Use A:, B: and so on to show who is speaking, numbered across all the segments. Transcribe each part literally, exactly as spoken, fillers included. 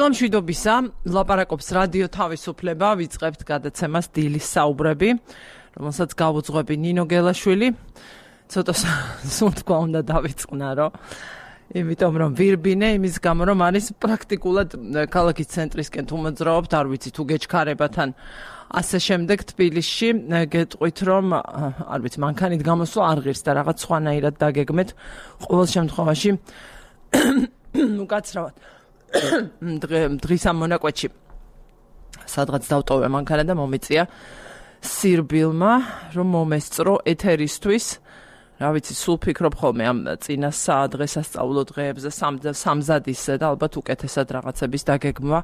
A: დილამშვიდობისა, ლაპარაკობს რადიო თავისუფლება, ვიწყებთ გადაცემას დილის საუბრები, რომელსაც გავუძღვები ნინო გელაშვილი. ცოტა სუნთქვა უნდა დავიწყნარო, იმიტომ რომ ვირბინე, იმის გამო რომ არის პრაქტიკულად ქალაქის ცენტრისკენ თუ მოძრაობთ, არ ვიცი თუ გეჩქარებათ ან ასე შემდეგ თბილისში, გეტყვით რომ არ ვიცი, მანქანით გამოსვლა არ ღირს და რაღაც სხვანაირად დაგეგმეთ, ყოველ შემთხვევაში უკაცრავად დღის ამ მონაკვეთში სადღაც დავტოვე მანქანა და მომიწია სირბილმა რომ მომესწრო ეთერისთვის. რა ვიცი, სულ ფიქრობ ხოლმე ამ წინა დღესასწაულო დღეებზე სამზადისზე და ალბათ უკეთესად რაღაცების დაგეგმვა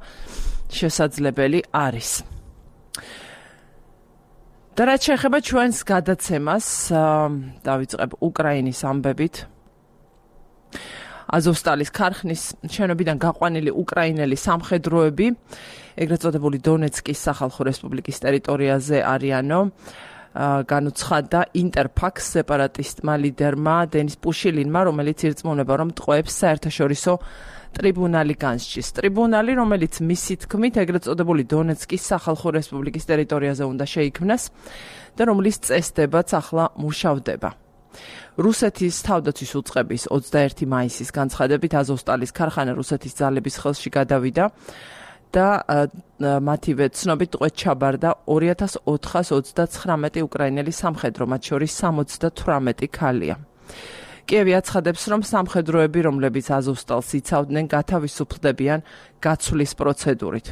A: შესაძლებელი არის. და რაც შეეხება ჩვენს გადაცემას, დავიწყებ უკრაინის ამბებით. აზოვსტალის ქარხნის შენობიდან გაყვანილი უკრაინელი სამხედროები, ეგრეთ წოდებული დონეცკის სახალხო რესპუბლიკის ტერიტორიაზე არიანო, განუცხადა ინტერფაქს სეპარატისტმა ლიდერმა დენის პუშილინმა, რომელიც ირწმუნება, რომ ტყვეებს საერთაშორისო ტრიბუნალი განსჯის. ტრიბუნალი, რომელიც მისი თქმით ეგრეთ წოდებული დონეცკის სახალხო რესპუბლიკის ტერიტორიაზე უნდა შეიქმნას და რომლის წესდებაც ახლა მუშავდება. რუსეთის თავდაცვის უწყების ოცდაერთი მაისის განცხადებით აზოვსტალის ქარხანა რუსეთის ძალების ხელში გადავიდა და მათივე ცნობით ტყვედ ჩაბარდა ორი ათას ოთხას ოცდაცხრამეტი უკრაინელი სამხედრო, მათ შორის სამოცდათვრამეტი ქალია. კიევი აცხადებს, რომ სამხედროები, რომლებიც აზოვსტალს იცავდნენ, გათავისუფლდებიან გაცვლის პროცედურით.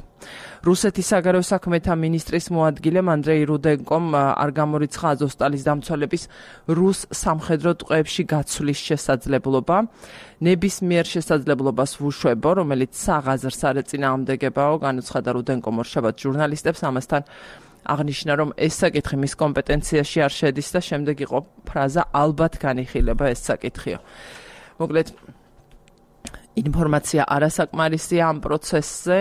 A: რუსეთის საგარეო საქმეთა მინისტრის მოადგილემ ანდრეი რუდენკომ არ გამორიცხა აზოვსტალის დამცველების რუს სამხედრო ტყვეებში გაცვლის შესაძლებლობა. ნებისმიერ შესაძლებლობას ვუშვებო, რომელიც საღაზრს არ ეწინააღმდეგებაო, განუცხადა რუდენკომ ორშაბათს ჟურნალისტებს, ამასთან აღნიშნა, რომ ეს საკითხი მის კომპეტენციაში არ შედის და შემდეგ იყო ფრაზა ალბათ განიხილება ეს საკითხიო. მოკლედ, ინფორმაცია არასაკმარისია ამ პროცესზე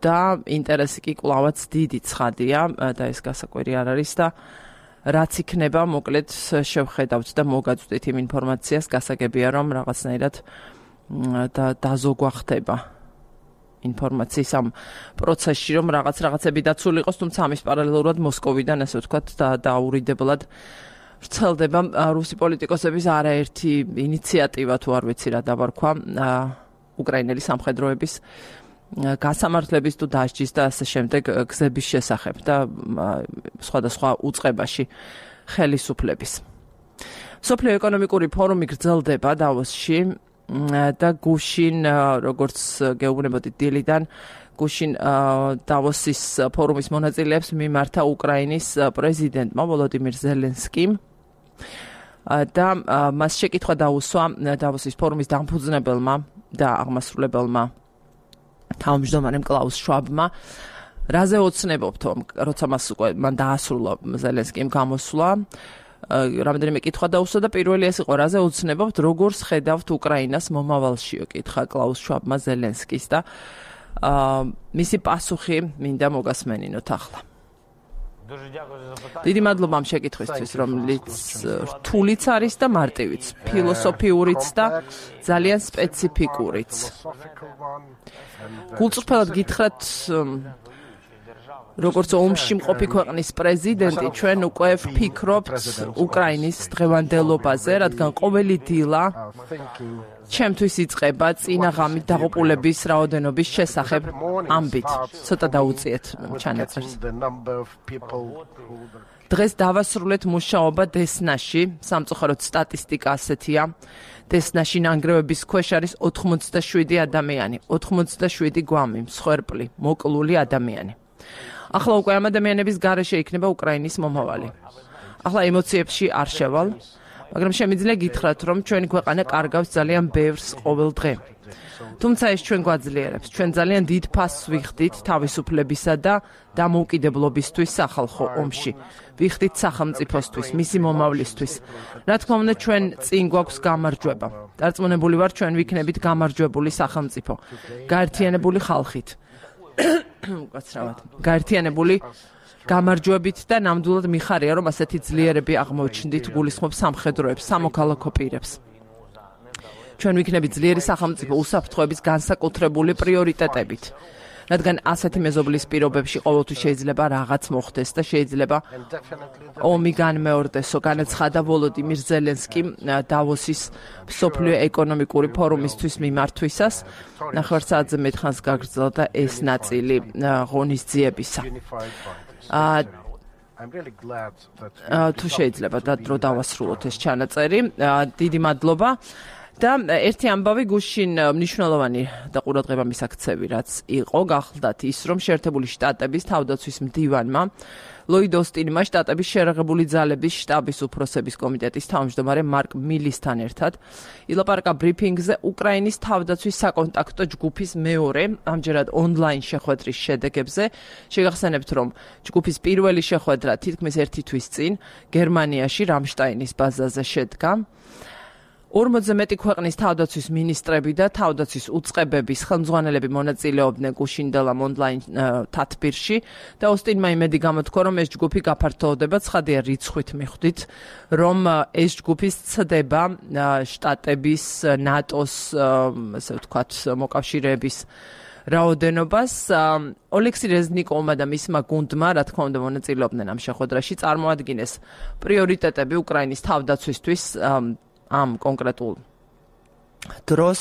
A: და ინტერესი კი კვლავაც დიდი ცხადია და ეს გასაკვირი არ არის და რაც იქნება, მოკლედ შევხედავთ და მოგაწვდით იმ ინფორმაციას, გასაგებია რომ რაღაცნაირად დაზოგვახდება ინფორმაციის ამ პროცესში, რომ რაღაც რაღაცები დაცული იყოს, თუმცა ამის პარალელურად მოსკოვიდან, ასე ვთქვათ, დაურიდებლად ვრცელდება რუსი პოლიტიკოსების არაერთი ინიციატივა, თუ არ ვიცი რა დავარქვა, უკრაინელი სამხედროების გასამართლების თუ დასჯის და ასე შემდეგ გზების შესახებ და სხვადასხვა უწყებაში ხელისუფლების. მსოფლიო ეკონომიკური ფორუმი გრძელდება დავოსში და გუშინ, როგორც გეუბნებოდით დილიდან, გუშინ დავოსის ფორუმის მონაწილეებს მიმართა უკრაინის პრეზიდენტმა ვოლოდიმირ ზელენსკიმ და მას შეკითხვა დაუსვა დავოსის ფორუმის დამფუძნებელმა და აღმასრულებელმა თავმჯდომარემ კლაუს შვაბმა, რაზე ოცნებობთ, როცა მას უკვე მან დაასრულა ზელენსკიმ გამოსვლა, რამდენიმე კითხვა დაუსვა და პირველი ეს იყო, რაზე ოცნებობთ, როგორ ხედავთ უკრაინას მომავალშიო, კითხა კლაუს შვაბმა ზელენსკის და მისი პასუხი მინდა მოგასმენინოთ ახლა. დიდი მადლობა ამ შეკითხვისთვის, რომელიც რთულიც არის და მარტივიც, ფილოსოფიურიც და ძალიან სპეციფიკურიც. გულწრფელად გითხრათ, როგორც ომში მყოფი ქვეყნის პრეზიდენტი, ჩვენ უკვე ვფიქრობთ უკრაინის დღევანდელობაზე, რადგან ყოველი დილა ჩემთვის იწყება წინა ღამით დაღუპულების რაოდენობის შესახებ ამბით. ცოტა დაუწიეთ ჩანაწერს. დღეს დავასრულეთ მუშაობა დესნაში, სამწუხაროდ სტატისტიკა ასეთია. დესნაში ნანგრევების ქვეშ არის ოთხმოცდაშვიდი ადამიანი, ოთხმოცდაშვიდი გვამი, მსხვერპლი, მოკლული ადამიანი. ახლა უკვე ამ ადამიანების გარეშე იქნება უკრაინის მომავალი. ახლა ემოციებში არ შევალ, მაგრამ შემიძლია გითხრათ, რომ ჩვენი ქვეყანა კარგავს ძალიან ბევრს ყოველ დღე. თუმცა ეს ჩვენ გვაძლიერებს. ჩვენ ძალიან დიდ ფასს ვიხდით თავისუფლებისა და დამოუკიდებლობისთვის სახალხო ომში. ვიხდით სახელმწიფოსთვის, მისი მომავლისთვის. რა თქმა უნდა, ჩვენ წინ გვაქვს გამარჯვება. დარწმუნებული ვარ, ჩვენ ვიქნებით გამარჯვებული სახელმწიფო, გაერთიანებული ხალხით. უკაცრავად. გაერთიანებული გამარჯვებით და ნამდვილად მიხარია, რომ ასეთი ძლიერები აღმოჩნდით, გულისხმობ სამხედროებს, სამოქალაქო პირებს. ჩვენ ვიქნები ძლიერი სახელმწიფო უსაფრთხოების განსაკუთრებული პრიორიტეტებით. რადგან ასეთი მეზობლის პირობებში ყოველთვის შეიძლება რაღაც მოხდეს და შეიძლება ომი განმეორდესო, განაცხადა ვოლოდიმირ ზელენსკიმ დავოსის მსოფლიო ეკონომიკური ფორუმისთვის მიმართვისას. ნახევარ საათზე მეტ ხანს გაგრძელდა ეს ნაწილი ღონისძიებისა. თუ შეიძლება და დრო დავასრულოთ ეს ჩანაწერი. დიდი მადლობა. და ერთი ამბავი გუშინ მნიშვნელოვანი და ყურადღება მისაქცევი რაც იყო გახლდათ ის რომ შეერთებული შტატების თავდაცვის მდივანმა ლოიდ ოსტინმა შტატების შერაღებული ძალების შტაბის უფროსების კომიტეტის თავმჯდომარე მარკ მილისთან ერთად ილაპარაკა ბრიფინგზე უკრაინის თავდაცვის საკონტაქტო ჯგუფის მეორე ამჯერად ონლაინ შეხვედრის შედეგებზე. შეგახსენებთ რომ ჯგუფის პირველი შეხვედრა თითქმის ერთი თვის წინ გერმანიაში რამშტაინის ბაზაზე შედგა. ორმოცზე მეტი ქვეყნის თავდაცვის მინისტრები და თავდაცვის უწყებების ხელმძღვანელები მონაწილეობდნენ გუშინდელამ ონლაინ თათბირში და ოსტინმა იმედი გამოთქვა, რომ ეს ჯგუფი გაფართოვდება. ცხადია რიცხვით მიხვდით, რომ ეს ჯგუფი ცდება შტატების, ნატოს, ასე ვთქვათ, მოკავშირეების რაოდენობას. ოლექსი რეზნიკოვმა და მისმა გუნდმა, რა თქმა უნდა, მონაწილეობდნენ ამ შეხვედრაში, წარმოადგინეს პრიორიტეტები უკრაინის თავდაცვისთვის ამ კონკრეტულ დროს.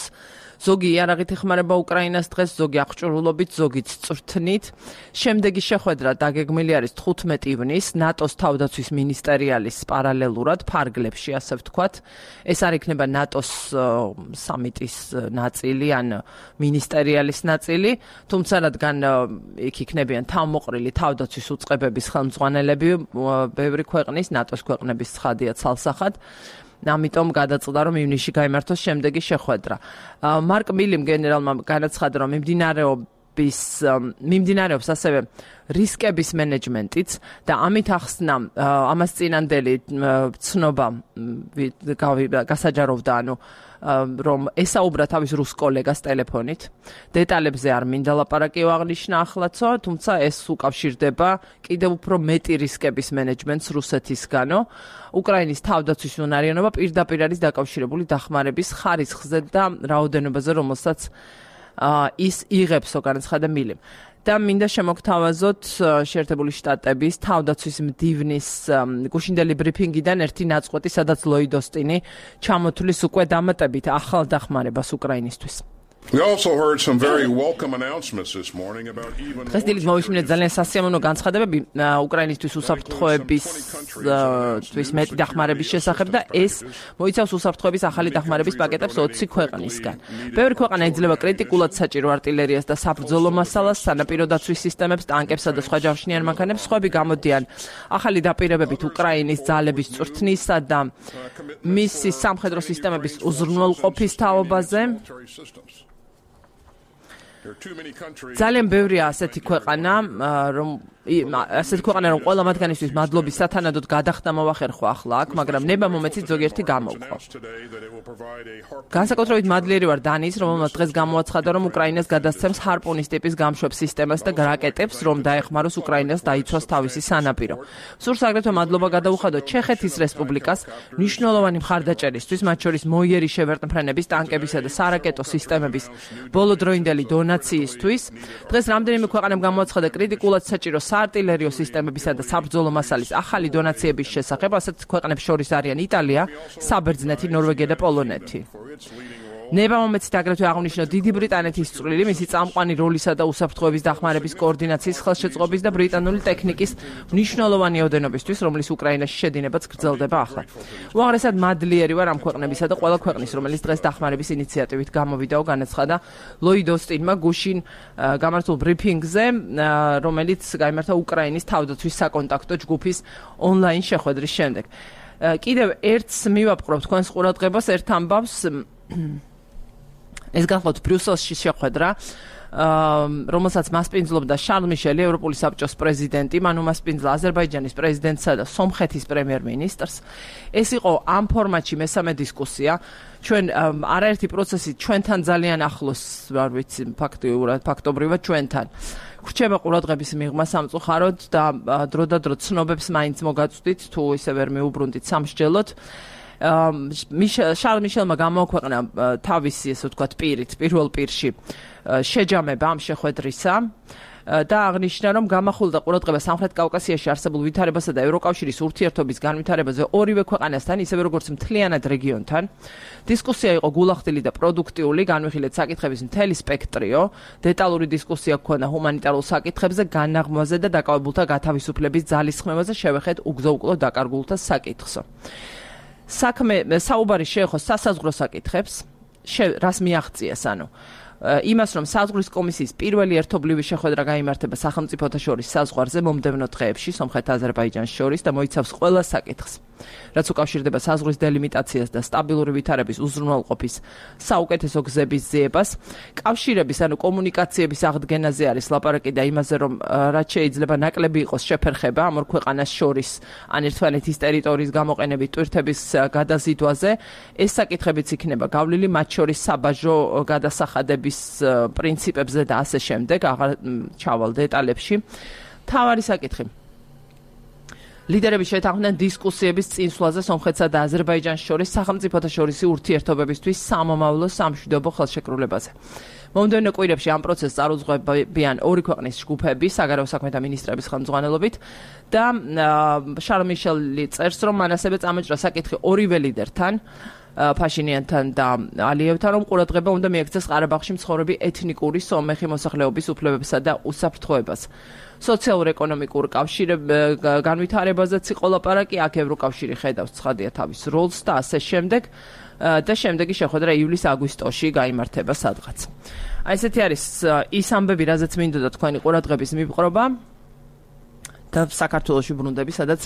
A: ზოგი იარაღით ეხმარება უკრაინას დღეს, ზოგი აღჭურვილობით, ზოგიც წვრთნით. შემდეგი შეხვედრა დაგეგმილი არის თხუთმეტი ივნისს ნატოს თავდაცვის მინისტერიალის პარალელურად ფარგლებში, ასე ვთქვათ. ეს არ იქნება ნატოს სამიტის ნაწილი ან მინისტერიალის ნაწილი, თუმცა რადგან იქ იქნებიან თავმოყრილი თავდაცვის უწყებების ხელმძღვანელები ბევრი ქვეყნის, ნატოს ქვეყნების ცხადია ცალსახად. ამიტომ გადაწყვიტა რომ ივნისში გაიმართოს შემდეგი შეხვედრა. მარკ მილიმ გენერალმა განაცხადა რომ მიმდინარეობის მიმდინარეობს ასევე რისკების მენეჯმენტიც და ამით ახსნა ამას წინანდელი ცნობა გასაჯაროვდა ანუ რომ ესაუბრა თავის რუს კოლეგას ტელეფონით. დეტალებზე არ მინდა ლაპარაკი აღნიშნა ახლაცო, თუმცა ეს უკავშირდება კიდევ უფრო მეტი რისკების მენეჯმენტს რუსეთისგანო. უკრაინის თავდაცვის უნარიანობა პირდაპირ არის დაკავშირებული დახმარების ხარისხზე და რაოდენობაზე, რომელსაც ის იღებსო, განაცხადა მილიმ. და მინდა შემოგთავაზოთ შეერთებული შტატების თავდაცვის მდივნის გუშინდელი ბრიფინგიდან ერთი ნაწყვეტი, სადაც ლოიდ ოსტინი ჩამოთვლის უკვე დამატებით ახალ დახმარებას უკრაინისთვის.
B: We also heard some very welcome announcements this morning about even
A: დღეს დილით მოვისმინეთ ძალიან სასიამოვნო განცხადებები უკრაინისთვის უსაფრთხოების თვის მეტი დახმარების შესახებ და ეს მოიცავს უსაფრთხოების ახალი დახმარების პაკეტებს ოცი ქვეყნისგან. ბევრი ქვეყანა იძლევა კრიტიკულად საჭირო артиლერიას და საბრძოლო მასალას, სანაპირო დაცვის სისტემებს, ტანკებსა და სხვა ჯავშნიან მანქანებს. სხვები გამოდიან ახალი დაპირებებით უკრაინის ძალების წვრთნისა და მისი სამხედრო სისტემების უზრუნველყოფის თაობაზე. ძალიან ბევრია ასეთი ქვეყანა, რომ ასეთი ქვეყანა, რომ ყველა მათგანისთვის მადლობის სათანადოდ გადახდა მოვახერხო ახლა აქ, მაგრამ ნება მომეცით ზოგიერთი გამოვყო. განსაკუთრებით მადლიერი ვარ დანიის, რომელმაც დღეს გამოაცხადა, რომ უკრაინას გადასცემს ჰარპუნის ტიპის გამშვებ სისტემას და რაკეტებს, რომ დაეხმაროს უკრაინას დაიცვას თავისი სანაპირო. სურს აგრეთვე მადლობა გადაუხადოთ ჩეხეთის რესპუბლიკას მნიშვნელოვანი მხარდაჭერისთვის, მათ შორის მოიერი შევერტმფრენების, ტანკებისა და სარაკეტო სისტემების ბოლოდროინდელი დონაციისთვის. დღეს რამდენიმე ქვეყანამ გამოაცხადა კრიტიკულად საჭირო საარტილერიო სისტემებისა და საბრძოლო მასალის ახალი დონაციების შესახებ, ასეთ ქვეყნებს შორის არიან იტალია, საბერძნეთი, ნორვეგია და პოლონეთი. ნება მომეცით აგრეთვე აღნიშნო დიდი ბრიტანეთის წვლილი მისი წამყვანი როლისა და უსაფრთხოების დახმარების კოორდინაციის ხელშეწყობის და ბრიტანული ტექნიკის მნიშვნელოვანი ოდენობისთვის, რომლის უკრაინაში შედინებაც გრძელდება ახლა. უაღრესად მადლიერი ვარ ამ ქვეყნებისა და ყველა ქვეყნის, რომელიც დღეს დახმარების ინიციატივით გამოვიდაო, განაცხადა ლოიდ ოსტინმა გუშინ გამართულ ბრიფინგზე, რომელიც გაიმართა უკრაინის თავდაცვის საკონტაქტო ჯგუფის ონლაინ შეხვედრის შემდეგ. კიდევ ერთს მივაპყრობ თქვენს ყურადღებას ერთ ამბავს. ეს გახლავთ ბრიუსელში შეხვედრა, რომელსაც მასპინძლობდა შარლ მიშელი, ევროპული საბჭოს პრეზიდენტი, მან უმასპინძლა აზერბაიჯანის პრეზიდენტსა და სომხეთის პრემიერ-მინისტრს. ეს იყო ამ ფორმატში მესამე დისკუსია. ჩვენ არაერთი პროცესი ჩვენთან ძალიან ახლოს, არ ვიცი, ფაქტიურად, ფაქტობრივად ჩვენთან. ვრჩება ყურადღების მიღმა სამწუხაროდ და დროდადრო ცნობებს მაინც მოგაწვდით, თუ ისე ვერ მიუბრუნდით სამსჯელოდ. შარლ მიშელმა გამოაქვეყნა თავისი, ესე ვთქვათ, პირით, პირველ პირში შეჯამება ამ შეხვედრისა და აღნიშნა, რომ გამახვილდა ყურადღება სამხრეთ კავკასიაში არსებულ ვითარებასა და ევროკავშირის ურთიერთობის განვითარებაზე ორივე ქვეყანასთან, ისევე როგორც მთლიანად რეგიონთან. დისკუსია იყო გულახდილი და პროდუქტიული, განვიხილეთ საკითხების მთელი სპექტრიო, დეტალური დისკუსია ჰქონდა ჰუმანიტარულ საკითხებზე, განაღმვაზე და დაკავებულთა გათავისუფლების ძალისხმევაზე, შევეხეთ უგზო-უკვლო დაკარგულთა საკითხსო. საქმე საუბარი შეეხო სასაზღვრო საკითხებს, რას მიაღწიეს, ანუ იმას, რომ საზღვრის კომისიის პირველი ერთობლივი შეხვედრა გაიმართება სახელმწიფოთა შორის საზღვარზე მომდევნო დღეებში სომხეთ-აზერბაიჯანს შორის და მოიცავს ყველა საკითხს, რაც უკავშირდება საზღვრის დელიმიტაციას და სტაბილური ვითარების უზრუნველყოფის საუკეთესო გზების ძიებას. კავშირების, ანუ კომუნიკაციების აღდგენაზე არის ლაპარაკი და იმაზე, რომ რაც შეიძლება ნაკლები იყოს შეფერხება ამ ორ ქვეყანას შორის ან ერთმანეთის ტერიტორიის გამოყენებით ტვირთების გადაზიდვაზე. ეს საკითხებიც იქნება გავლილი მათ შორის საბაჟო გადასახადების პრინციპებზე და ასე შემდეგ, აღარ ჩავალ დეტალებში. თავარი საკითხი. ლიდერები შეთანხმდნენ დისკუსიების წინსვლაზე სომხეთსა და აზერბაიჯანს შორის სახელმწიფოთა შორისი ურთიერთობებისთვის სამომავლო სამშვიდობო ხელშეკრულებაზე. მომდევნო კვირებში ამ პროცესს წარუძღვებიან ორი ქვეყნის ჯგუფები, საგარეო საქმეთა მინისტრების ხელმძღვანელობით და შარლ მიშელი წერს, რომ მან ასევე წამოჭრა საკითხი ორივე ლიდერთან, ფაშინიანთან და ალიევთან, რომ ყურადღება უნდა მიექცეს ყარაბაღში მცხოვრები ეთნიკური სომეხი მოსახლეობის უფლებებსა და უსაფრთხოებას. სოციალურ-ეკონომიკურ განვითარებაზეც იყო ლაპარაკი, აქ ევროკავშირი ხედავს ცხადია თავის როლს და ასე შემდეგ და შემდეგი შეხვედრა ივლის-აგვისტოში გაიმართება სადღაც. აი ესეთი არის ის ამბები, რაზეც მინდოდა თქვენი ყურადღების მიპყრობა და საქართველოში ბრუნდები, სადაც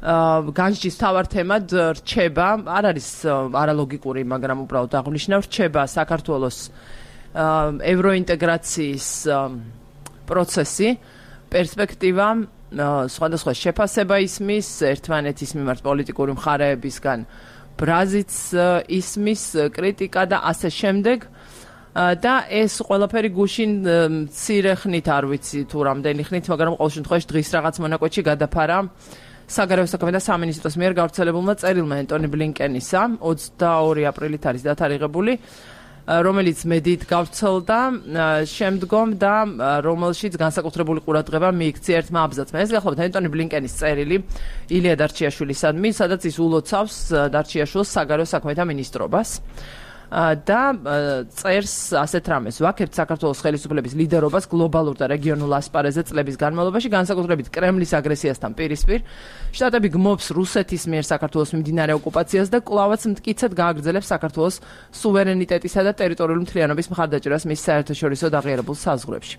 A: განსჯის თავარ თემად რჩება, არ არის არალოგიკური, მაგრამ უბრალოდ აღნიშნა, რჩება საქართველოს ევროინტეგრაციის პროცესი, პერსპექტივა, სხვადასხვა შეფასება ისმის, ერთმანეთის მიმართ პოლიტიკური მხარეებისგან ბრაზიც ისმის, კრიტიკა და ასე შემდეგ. და ეს ყველაფერი გუშინ მცირე ხნით, არ ვიცი თუ რამდენი ხნით, მაგრამ ყოველ შემთხვევაში დღის რაღაც მონაკვეთში გადაფარა საგარეო საქმეთა სამინისტროს მიერ გავრცელებულმა წერილმა ენტონი ბლინკენისა ოცდაორი აპრილით არის დათარიღებული, რომელიც მედიით გავრცელდა შემდგომ და რომელშიც განსაკუთრებული ყურადღება მიიქცია ერთმა აბზაცმა. ეს გახლავთ ენტონი ბლინკენის წერილი ილია დარჩიაშვილისადმი, სადაც ის ულოცავს დარჩიაშვილს საგარეო საქმეთა მინისტრობას. და წერს ასეთ რამეს, ვაკებთ საქართველოს ხელისუფლების ლიდერობას გლობალურ და რეგიონულ ასპარეზზე წლების განმავლობაში, განსაკუთრებით კრემლის აგრესიასთან პირისპირ. შტატები გმობს რუსეთის მიერ საქართველოს მიმდინარე ოკუპაციას და კვლავაც მტკიცედ გააგრძელებს საქართველოს სუვერენიტეტისა და ტერიტორიული მთლიანობის მხარდაჭერას მის საერთაშორისო დაღიარებულ საზღვრებში.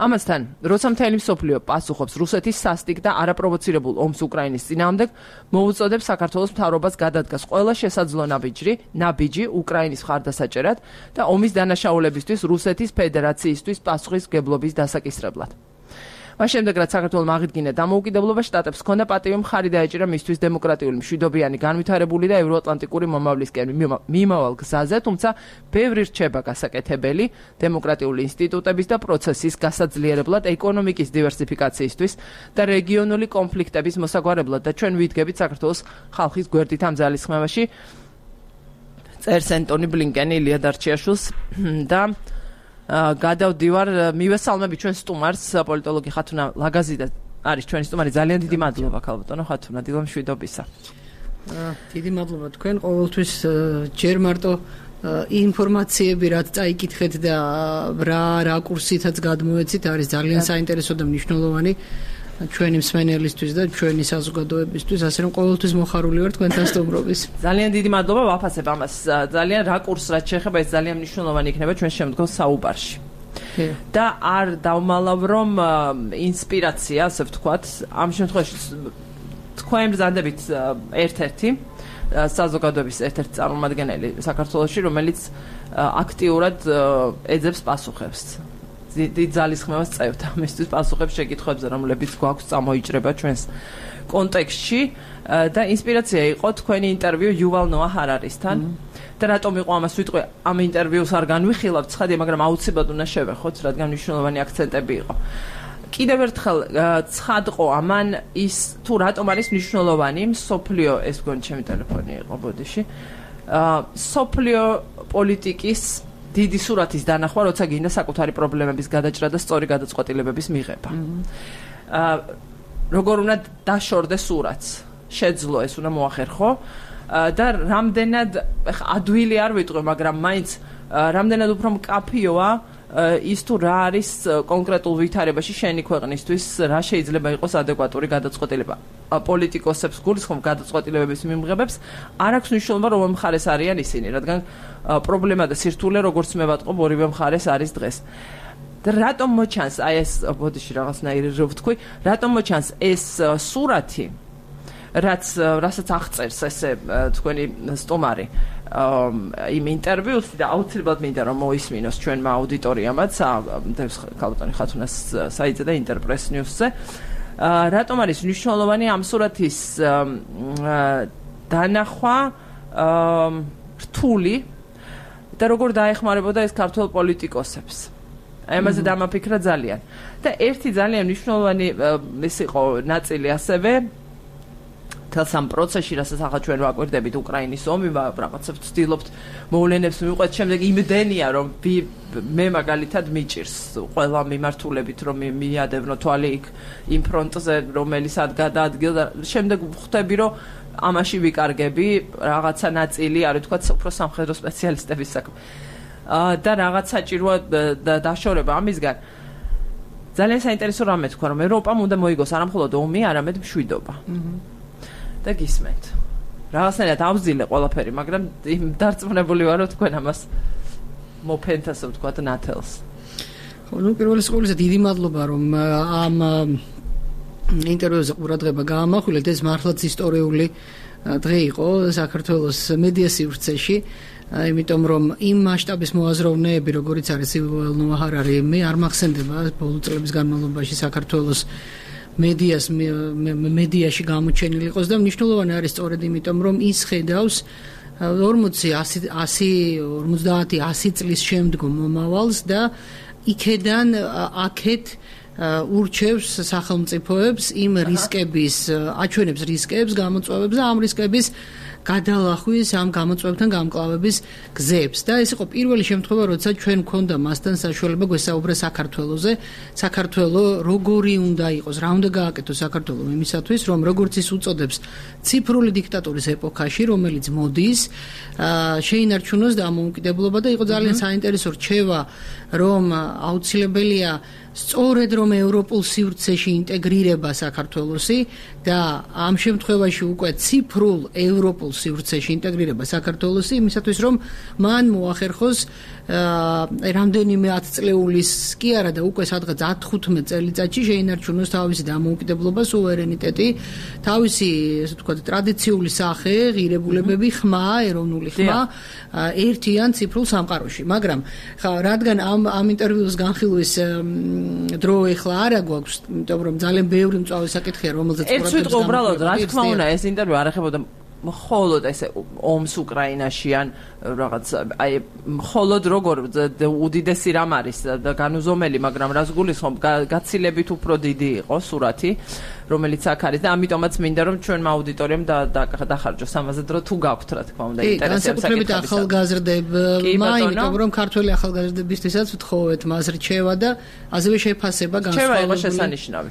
A: ამასთან, როცა მთელი მსოფლიო პასუხობს რუსეთის სასტიკ და არაპროვოცირებულ ომს უკრაინის წინააღმდეგ, მოუწოდებს საქართველოს მთავრობას გადადგას ყველა შესაძლო ნაბიჯი, ნაბიჯი უკრაინის მხარდასაჭერად და ომის დანაშაულებისთვის რუსეთის ფედერაციისთვის პასუხისმგებლობის დასაკისრებლად. მას შემდეგ, რაც საქართველოს აღიდგინა დამოუკიდებლობა, შტატებს ჰქონდა პატივი მხარი დაეჭირა მისთვის დემოკრატიული, მშვიდობიანი, განვითარებული და ევროატლანტიკური მომავლისკენ მიმავალ გზაზე, თუმცა ბევრი რჩება გასაკეთებელი დემოკრატიული ინსტიტუტების და პროცესის გასაძლიერებლად, ეკონომიკის დივერსიფიკაციისთვის და რეგიონული კონფლიქტების მოსაგვარებლად და ჩვენ ვიდგებით საქართველოს ხალხის გვერდით ამ ძალისხმევაში, წერს ენტონი ბლინკენი ილია დარჩიაშვილს და გადავდივარ, მივესალმები ჩვენ სტუმარს, პოლიტოლოგი ხათუნა ლაგაზიდა არის ჩვენი სტუმარი. ძალიან დიდი მადლობა ქალბატონო ხათუნა, დილა მშვიდობისა.
C: დიდი მადლობა თქვენ, ყოველთვის ჯერ მარტო ინფორმაციები რაც წაიკითხეთ და რა რაკურსითაც გადმოეცით, არის ძალიან საინტერესო და მნიშვნელოვანი ჩვენი მსმენელისთვის და ჩვენი საზოგადოებისთვის, ასე რომ ყოველთვის მოხარული ვარ თქვენთან სტუმრობის.
A: ძალიან დიდი მადლობა, ვაფასებ ამას. ძალიან რაკურს რაც შეეხება, ეს ძალიან მნიშვნელოვანი იქნება ჩვენ შემდგომ საუბარში. და არ დავმალავ, რომ ინსპირაცია, ასე ვთქვათ, ამ შემთხვევაში თქვენ ბრძანდებით ერთ-ერთი საზოგადოების ერთ-ერთი წარმომადგენელი საქართველოში, რომელიც აქტიურად ეძებს პასუხებს. დიდ ძალისხმევას წევთ ამისთვის პასუხებს შეკითხვებზე, რომლებიც გვაქვს წამოიჭრება ჩვენს კონტექსტში და ინსპირაცია იყო თქვენი ინტერვიუ იუვალ ნოა ჰარარისთან. და რატომ იყო ამას ვიტყვი, ამ ინტერვიუს არ განვიხილავთ, ცხადია, მაგრამ აუცილებლად უნდა შევეხოთ, რადგან მნიშვნელოვანი აქცენტები იყო. კიდევ ერთხელ ცხადყო ამან ის თუ რატომ არის მნიშვნელოვანი სოფლიო ეს გონი ჩემი ტელეფონი იყო ბოდიში სოფლიო პოლიტიკის დიდი სურათის დანახვა როცა გინდა საკუთარი პრობლემების გადაჭრა და სწორი გადაწყვეტილებების მიღება აა როგორ უნდა დაშორდეს სურათს შეძლო ეს უნდა მოახერხო და რამდენად ადვილი არ ვიტყვი მაგრამ მაინც რამდენად უფრო მკაფიოა ის თუ რა არის კონკრეტულ ვითარებაში შენი ქვეყნისთვის რა შეიძლება იყოს ადეკვატური გადაწყვეტილება პოლიტიკოსებს გულისხმობ გადაწყვეტილებების მიმღებებს არ აქვს მნიშვნელობა რომ მხარეს არიან ისინი რადგან პრობლემა და სირთულე როგორც მე ვატყობ ორივე მხარეს არის დღეს და რატომ მოჩანს აი ეს ბოდიში რაღაცნაირი რო ვთქვი რატომ მოჩანს ეს სურათი რაც რასაც აღწერს ესე თქვენი სტუმარი იმ ინტერვიუს და აუცილებლად მინდა რომ მოისმინოს ჩვენმა აუდიტორიამაც დევს ქალბატონი ხათუნას საიტზე და ინტერპრეს ნიუსზე რატომ არის მნიშვნელოვანი ამ სურათის დანახვა რთული და როგორ დაეხმარებოდა ეს ქართულ პოლიტიკოსებს აი ამაზე დამაფიქრა ძალიან და ერთი ძალიან მნიშვნელოვანი ეს იყო ნაწილი ასევე თელს ამ პროცესში რასაც ახლა ჩვენ ვაკვირდებით უკრაინის ომი რაღაცებს ვცდილობთ მოვლენებს მივყვეთ შემდეგ იმდენია რომ მე მაგალითად მიჭირს ყველა მიმართულებით რომ მიადევნო თვალი იქ იმ ფრონტზე რომელიც ადგადადგილ და შემდეგ ვხვდები რომ ამაში ვიკარგები რაღაცა ნაწილი არის თქვა უფრო სამხედრო სპეციალისტების საქმე და რაღაც საჭიროა დაშორება ამისგან ძალიან საინტერესო რამე თქვა რომ ევროპამ უნდა მოიგოს არა მხოლოდ ომი არამედ მშვიდობა და გისმენთ. რაღაცნაირად ავზილე ყველაფერი, მაგრამ დარწმუნებული ვარ, რომ თქვენ ამას მოფენთასო თქვა ნათელს.
C: ხო, ნუ პირველ ყოვლისა დიდი მადლობა, რომ ამ ინტერვიუზე ყურადღება გაამახვილეთ, ეს მართლაც ისტორიული დღე იყო საქართველოს მედია სივრცეში, იმიტომ რომ იმ მასშტაბის მოაზროვნეები, როგორიც არის ივოელ ნოა ჰარარი, მე არ მახსენდება ბოლო წლების განმავლობაში საქართველოს მედიას მედიაში გამოჩენილი იყოს და მნიშვნელოვანი არის სწორედ იმიტომ რომ ის ხედავს ორმოცი ორმოცდაათი ასი წლის შემდგომ მომავალს და იქედან აქეთ ურჩევს სახელმწიფოებს იმ რისკების აჩვენებს რისკებს გამოწვევებს და ამ რისკების გადალახვის ამ გამოწვევებთან გამკლავების გზებს და ეს იყო პირველი შემთხვევა როცა ჩვენ გვქონდა მასთან საშუალება გვესაუბრა საქართველოზე საქართველო როგორი უნდა იყოს რა უნდა გააკეთოს საქართველო იმისათვის რომ როგორც ის უწოდებს ციფრული დიქტატურის ეპოქაში რომელიც მოდის შეინარჩუნოს დამოუკიდებლობა და იყო ძალიან საინტერესო რჩევა რომ აუცილებელია სწორედ რომ ევროპულ სივრცეში ინტეგრირება საქართველოსი და ამ შემთხვევაში უკვე ციფრულ ევროპულ სივრცეში ინტეგრირება საქართველოსი იმისათვის რომ მან მოახერხოს რამდენიმე ათწლეულის კი არა და უკვე სადღაც ათი-ხუთმეტ წელიწადში შეინარჩუნოს თავისი დამოუკიდებლობა, სუვერენიტეტი, თავისი ესე ვთქვათ ტრადიციული სახე, ღირებულებები, ხმა, ეროვნული ხმა ერთიან ციფრულ სამყაროში. მაგრამ ხა რადგან ამ ამ ინტერვიუს განხილვის დრო ეხლა არ აგვაქვს, იმიტომ რომ ძალიან ბევრი მწვავე საკითხია, რომელზეც
A: ყურადღებას ერთ ვიტყვი უბრალოდ რა თქმა უნდა ეს ინტერვიუ არ ეხებოდა მხოლოდ ესე ომს უკრაინაში ან რაღაც აი მხოლოდ როგორ უდიდესი რამ არის და განუზომელი მაგრამ რას გულისხმობ გაცილებით უფრო დიდი იყო სურათი რომელიც აქ არის და ამიტომაც მინდა რომ ჩვენმა აუდიტორიამ დახარჯოს ამაზე დრო თუ გაქვთ რა თქმა უნდა ინტერესებს
C: საკითხებისა ახალგაზრდებმა იმიტომ რომ ქართველი ახალგაზრდებისთვისაც ვთხოვეთ მას რჩევა და ასევე შეფასება განსხვავებული
A: რჩევა იყო შესანიშნავი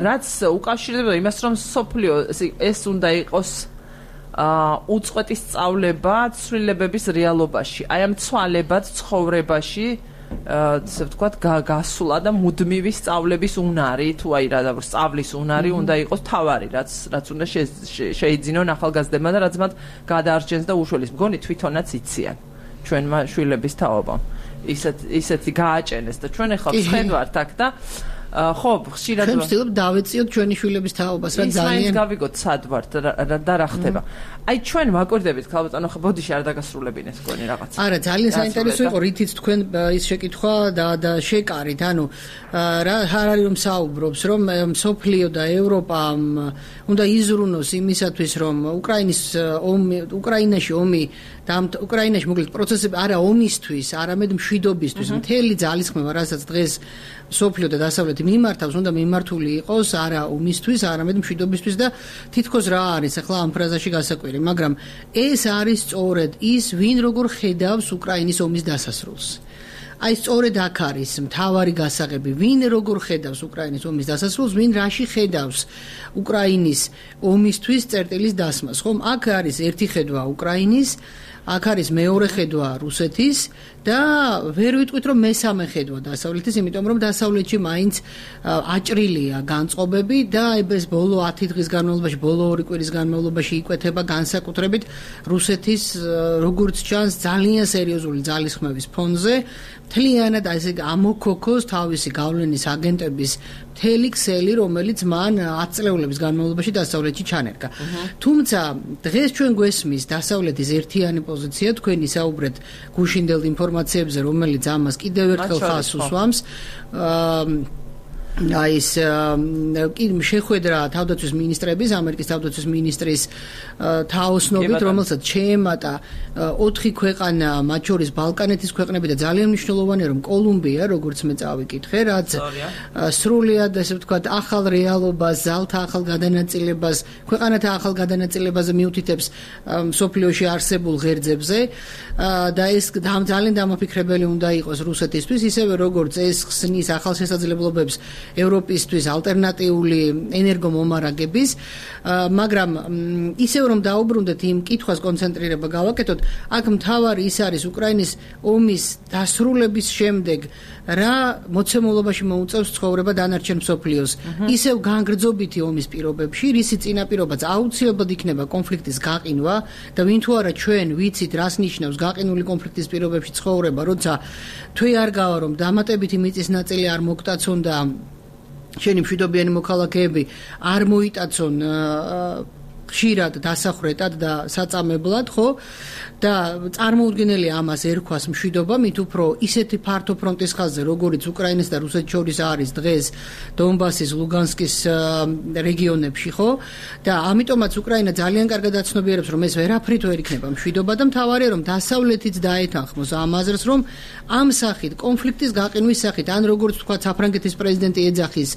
A: რაც უკავშირდება იმას რომ სოფლიო ეს უნდა იყოს უწყვეტი სწავლება ცვლილებების რეალობაში. აი ამ ცვალებად ცხოვრებაში, ასე ვთქვათ, გასულა და მუდმივი სწავლების უნარი, თუ აი რა სწავლის უნარი უნდა იყოს თავარი, რაც რაც უნდა შეიძინონ ახალგაზრდებმა და რაც მათ გადაარჩენს და უშველის. მგონი თვითონაც იციან ჩვენმა შვილების თაობამ. ისეთ ისეთი გააჭენეს და ჩვენ ახლა ვხედავთ აქ და ხო, ხშირად
C: ჩვენ ვცდილობ დავეციოთ ჩვენი შვილების თაობას, რა ძალიან
A: ის გავიგოთ სად ვართ და რა ხდება. აი ჩვენ ვაკვირდებით ქალბატონო, ხო ბოდიში არ დაგასრულებინეთ თქვენი რაღაცა.
C: არა, ძალიან საინტერესო იყო, რითიც თქვენ ის შეკითხვა და და შეკარით, ანუ რა ჰარარი რომ საუბრობს, რომ სოფლიო და ევროპა უნდა იზრუნოს იმისათვის, რომ უკრაინის ომი, უკრაინაში ომი და უკრაინაში მოკლედ პროცესები არა ომისთვის, არამედ მშვიდობისთვის, მთელი ძალისხმევა, რასაც დღეს სოფლიო და დასავლეთი მიმართავს, უნდა მიმართული იყოს არა ომისთვის, არამედ მშვიდობისთვის და თითქოს რა არის ახლა ამ ფრაზაში გასაკვირი, მაგრამ ეს არის სწორედ ის, ვინ როგორ ხედავს უკრაინის ომის დასასრულს. აი სწორედ აქ არის მთავარი გასაღები, ვინ როგორ ხედავს უკრაინის ომის დასასრულს, ვინ რაში ხედავს უკრაინის ომისთვის წერტილის დასმას, ხომ? აქ არის ერთი ხედვა უკრაინის, აქ არის მეორე ხედვა რუსეთის და ვერ ვიტყვით რომ მესამე ხედვა დასავლეთის, იმიტომ რომ დასავლეთში მაინც აჭრილია განწყობები და ეს ბოლო ათი დღის განმავლობაში, ბოლო ორი კვირის განმავლობაში იკვეთება განსაკუთრებით რუსეთის როგორც ჩანს ძალიან სერიოზული ძალისხმევის ფონზე, მთლიანად ესე ამოქოქოს თავისი გავლენის აგენტების მთელი ქსელი, რომელიც მან ათი წლეულების განმავლობაში დასავლეთში ჩანერგა. თუმცა დღეს ჩვენ გვესმის დასავლეთის ერთიანი პოზიცია, თქვენ ისაუბრეთ გუშინდელ ინფორმაციებზე, რომელიც ამას კიდევ ერთხელ ხაზს უსვამს. აი ეს შეხვედრა თავდაცვის მინისტრების, ამერიკის თავდაცვის მინისტრის თაოსნობით, რომელსაც შეემატა ოთხი ქვეყანა, მათ შორის ბალკანეთის ქვეყნები და ძალიან მნიშვნელოვანია, რომ კოლუმბია, როგორც მე წავიკითხე, რაც სრულიად, ესე ვთქვათ, ახალ რეალობას, ზალთა ახალ გადანაწილებას, ქვეყანათა ახალ გადანაწილებაზე მიუთითებს მსოფლიოში არსებულ ღერძებზე და ეს ძალიან დამაფიქრებელი უნდა იყოს რუსეთისთვის, ისევე როგორც ეს ხსნის ახალ შესაძლებლობებს ევროპისთვის ალტერნატიული ენერგომომარაგების, მაგრამ ისევ რომ დაუბრუნდეთ იმ კითხვას კონცენტრირება გავაკეთოთ, აქ მთავარი ის არის უკრაინის ომის დასრულების შემდეგ რა მოცემულობაში მოუწევს ცხოვრება დანარჩენ მსოფლიოს. ისევ განგრძობითი ომის პირობებში, რისი წინაპირობაც აუცილებლად იქნება კონფლიქტის გაყინვა და ვინ თუ არა ჩვენ ვიცით რას ნიშნავს გაყინული კონფლიქტის პირობებში ცხოვრება, როცა თვე არ გავა რომ დამატებითი მიწის ნაწილი არ მოგტაცონ და შენი მშვიდობიანი მოქალაქეები არ მოიტაცონ ხშირად დასახრეტად და საწამებლად, ხო? და წარმოუდგენელი ამას ერქვას მშვიდობა, მით უფრო ისეთი ფართო ფრონტის ხაზზე, როგორიც უკრაინას და რუსეთს შორის არის დღეს დონბასის, ლუგანსკის რეგიონებში, ხო? და ამიტომაც უკრაინა ძალიან კარგად აცნობიერებს, რომ ეს ვერაფრით ვერ იქნება მშვიდობა და მთავარია, რომ დასავლეთიც დაეთანხმოს ამ აზრს, რომ ამ სახით, კონფლიქტის გაყინვის სახით, ან როგორც თქვა საფრანგეთის პრეზიდენტი ეძახის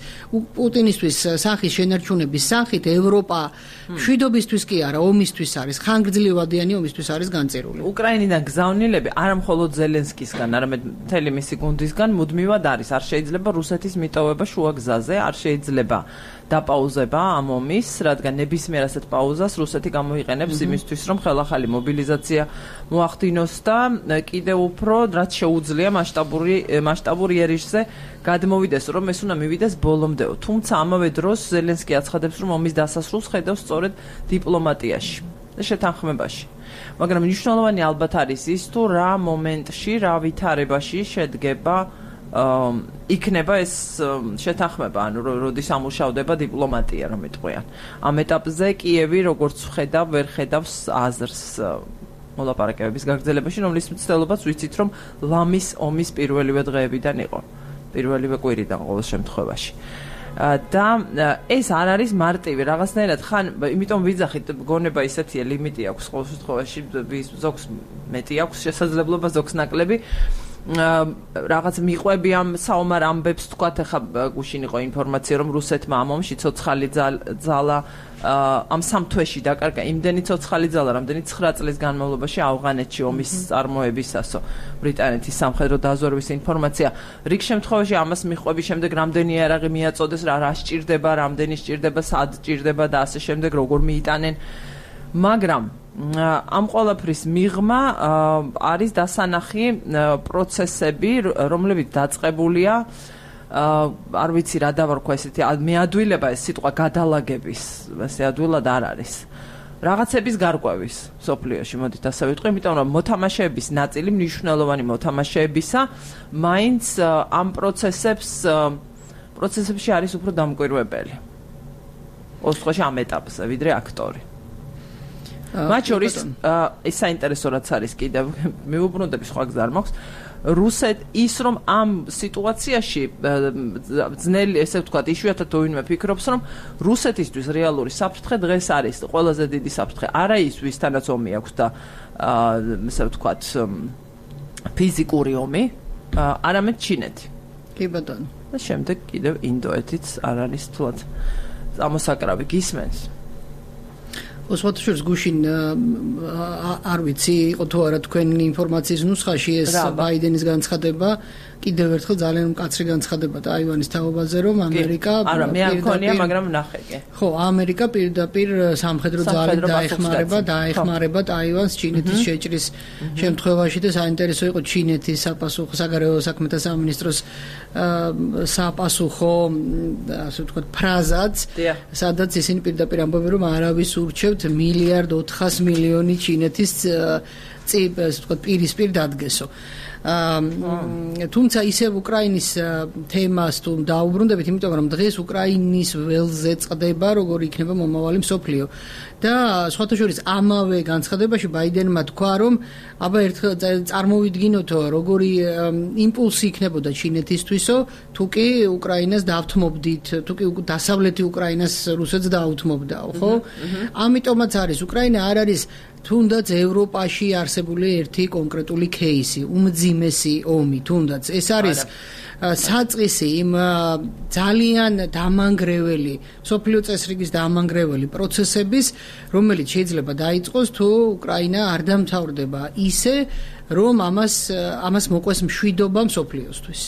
C: პუტინისთვის სახის შენარჩუნების სახით, ევროპა მშვიდობისთვის კი არა, ომისთვის არის, ხანგრძლივადიანი ომისთვის არის განწირული.
A: უკრაინიდან გზავნილები არა მხოლოდ ზელენსკისგან, არამედ მთელი მისი გუნდისგან მუდმივად არის. არ შეიძლება რუსეთის მიტოვება შუა გზაზე, არ შეიძლება დაპაუზება ამ ომის, რადგან ნებისმიერ ასეთ პაუზას რუსეთი გამოიყენებს იმისთვის, რომ ხელახალი მობილიზაცია მოახდინოს და კიდევ უფრო რაც შეუძლია მასშტაბური მასშტაბური ერიშზე გადმოვიდეს, რომ ეს უნდა მივიდეს ბოლომდე. თუმცა ამავე დროს ზელენსკი აცხადებს, რომ ომის დასასრულს ხედავს სწორედ დიპლომატიაში და შეთანხმებაში. მაგრამ მნიშვნელოვანი ალბათ არის ის, თუ რა მომენტში, რა ვითარებაში შედგება იქნება ეს შეთანხმება, ანუ როდის ამუშავდება დიპლომატია, რომ იტყვიან. ამ ეტაპზე კიევი როგორც ხედავ, ვერ ხედავს აზრს მოლაპარაკებების გაგრძელებაში, რომლის მცდელობაც ვიცით, რომ ლამის ომის პირველივე დღეებიდან იყო. პირველივე კვირიდან ყოველ შემთხვევაში. და ეს არ არის მარტივი რაღაცნაირად ხან, იმიტომ ვიძახით, გონება ისეთია, ლიმიტი აქვს ყოველ შემთხვევაში, ზოგს მეტი აქვს შესაძლებლობა, ზოგს ნაკლები. რაღაც მიყვები ამ საომარ ამბებს თქვათ, ახლა გუშინ იყო ინფორმაცია, რომ რუსეთმა ამ ომში ცოცხალი ძალა ამ სამ თვეში დაკარგა იმდენი ცოცხალი ძალა, რამდენი ცხრა წლის განმავლობაში ავღანეთში ომის წარმოებისასო. ბრიტანეთის სამხედრო დაზვერვის ინფორმაცია. რიგ შემთხვევაში ამას მიყვების შემდეგ რამდენი იარაღი მიაწოდეს, რა რა სჭირდება, რამდენი სჭირდება, სად სჭირდება და ასე შემდეგ, როგორ მიიტანენ. მაგრამ ამ ყველაფრის მიღმა არის დასანახი პროცესები, რომლებიც დაწყებულია, არ ვიცი რა დავარქვა ესეთი მეადვილება, ეს სიტყვა გადალაგების, ესე ადვილად არ არის. რაღაცების გარკვევის სოფლიოში, მოდით ასე ვიტყვი, იმიტომ რომ მოთამაშეების ნაწილი, მნიშვნელოვანი მოთამაშეებისა, მაინც ამ პროცესებს პროცესებში არის უფრო დამკვირვებელი. ორ შემთხვევაში ამ ეტაპზე, ვიდრე აქტორი. მათ შორის ეს საინტერესო რაც არის კიდევ მეუბრუნდები სხვა გზა არ მაქვს რუსეთ ის რომ ამ სიტუაციაში ძნელი ესე ვთქვათ იშვიათად ვინმე ფიქრობს რომ რუსეთისთვის რეალური საფრთხე დღეს არის ყველაზე დიდი საფრთხე არა ის ვისთანაც ომი აქვს და ესე ვთქვათ ფიზიკური ომი არამედ ჩინეთი
C: კი ბატონო
A: და შემდეგ კიდევ ინდოეთიც არ არის თულად ამოსაკრავი გისმენს.
C: ოსვათაშორის გუშინ არ ვიცი იყო თუ არა თქვენი ინფორმაციის ნუსხაში ეს ბაიდენის განცხადება კიდევ ერთხელ ძალიან მკაცრი განცხადება ტაივანის თაობაზე რომ ამერიკა
A: არა მე არ მქონია მაგრამ ნახე კი
C: ხო ამერიკა პირდაპირ სამხედრო ძალით დაეხმარება დაეხმარება ტაივანს ჩინეთის შეჭრის შემთხვევაში და საინტერესო იყო ჩინეთის საპასუხო საგარეო საქმეთა სამინისტროს საპასუხო ასე ვთქვათ ფრაზაც სადაც ისინი პირდაპირ ამბობენ რომ არავის ურჩევთ მილიარდ ოთხას მილიონი ჩინეთის წინ ასე ვთქვათ პირისპირ დადგესო თუმცა ისევ უკრაინის თემას თუ დაუბრუნდებით, იმიტომ რომ დღეს უკრაინის ველზე წყდება როგორ იქნება მომავალი მსოფლიო და სხვათა შორის ამავე განცხადებაში ბაიდენმა თქვა რომ აბა ერთხელ წარმოვიდგინოთო როგორი იმპულსი იქნებოდა ჩინეთისთვისო თუ კი უკრაინას დავთმობდით თუ კი დასავლეთი უკრაინას რუსეთს დაუთმობდაო ხო ამიტომაც არის უკრაინა არ არის თუნდაც ევროპაში არსებული ერთი კონკრეტული кейსი, უმძიმესი ომი, თუნდაც ეს არის საწყისი იმ ძალიან დამანგრეველი, სოფლიო წესრიგის დამანგრეველი პროცესების, რომელიც შეიძლება დაიწყოს თუ უკრაინა არ დამთავრდება ისე, რომ ამას ამას მოყვეს მშვიდობა მსოფლიოსთვის.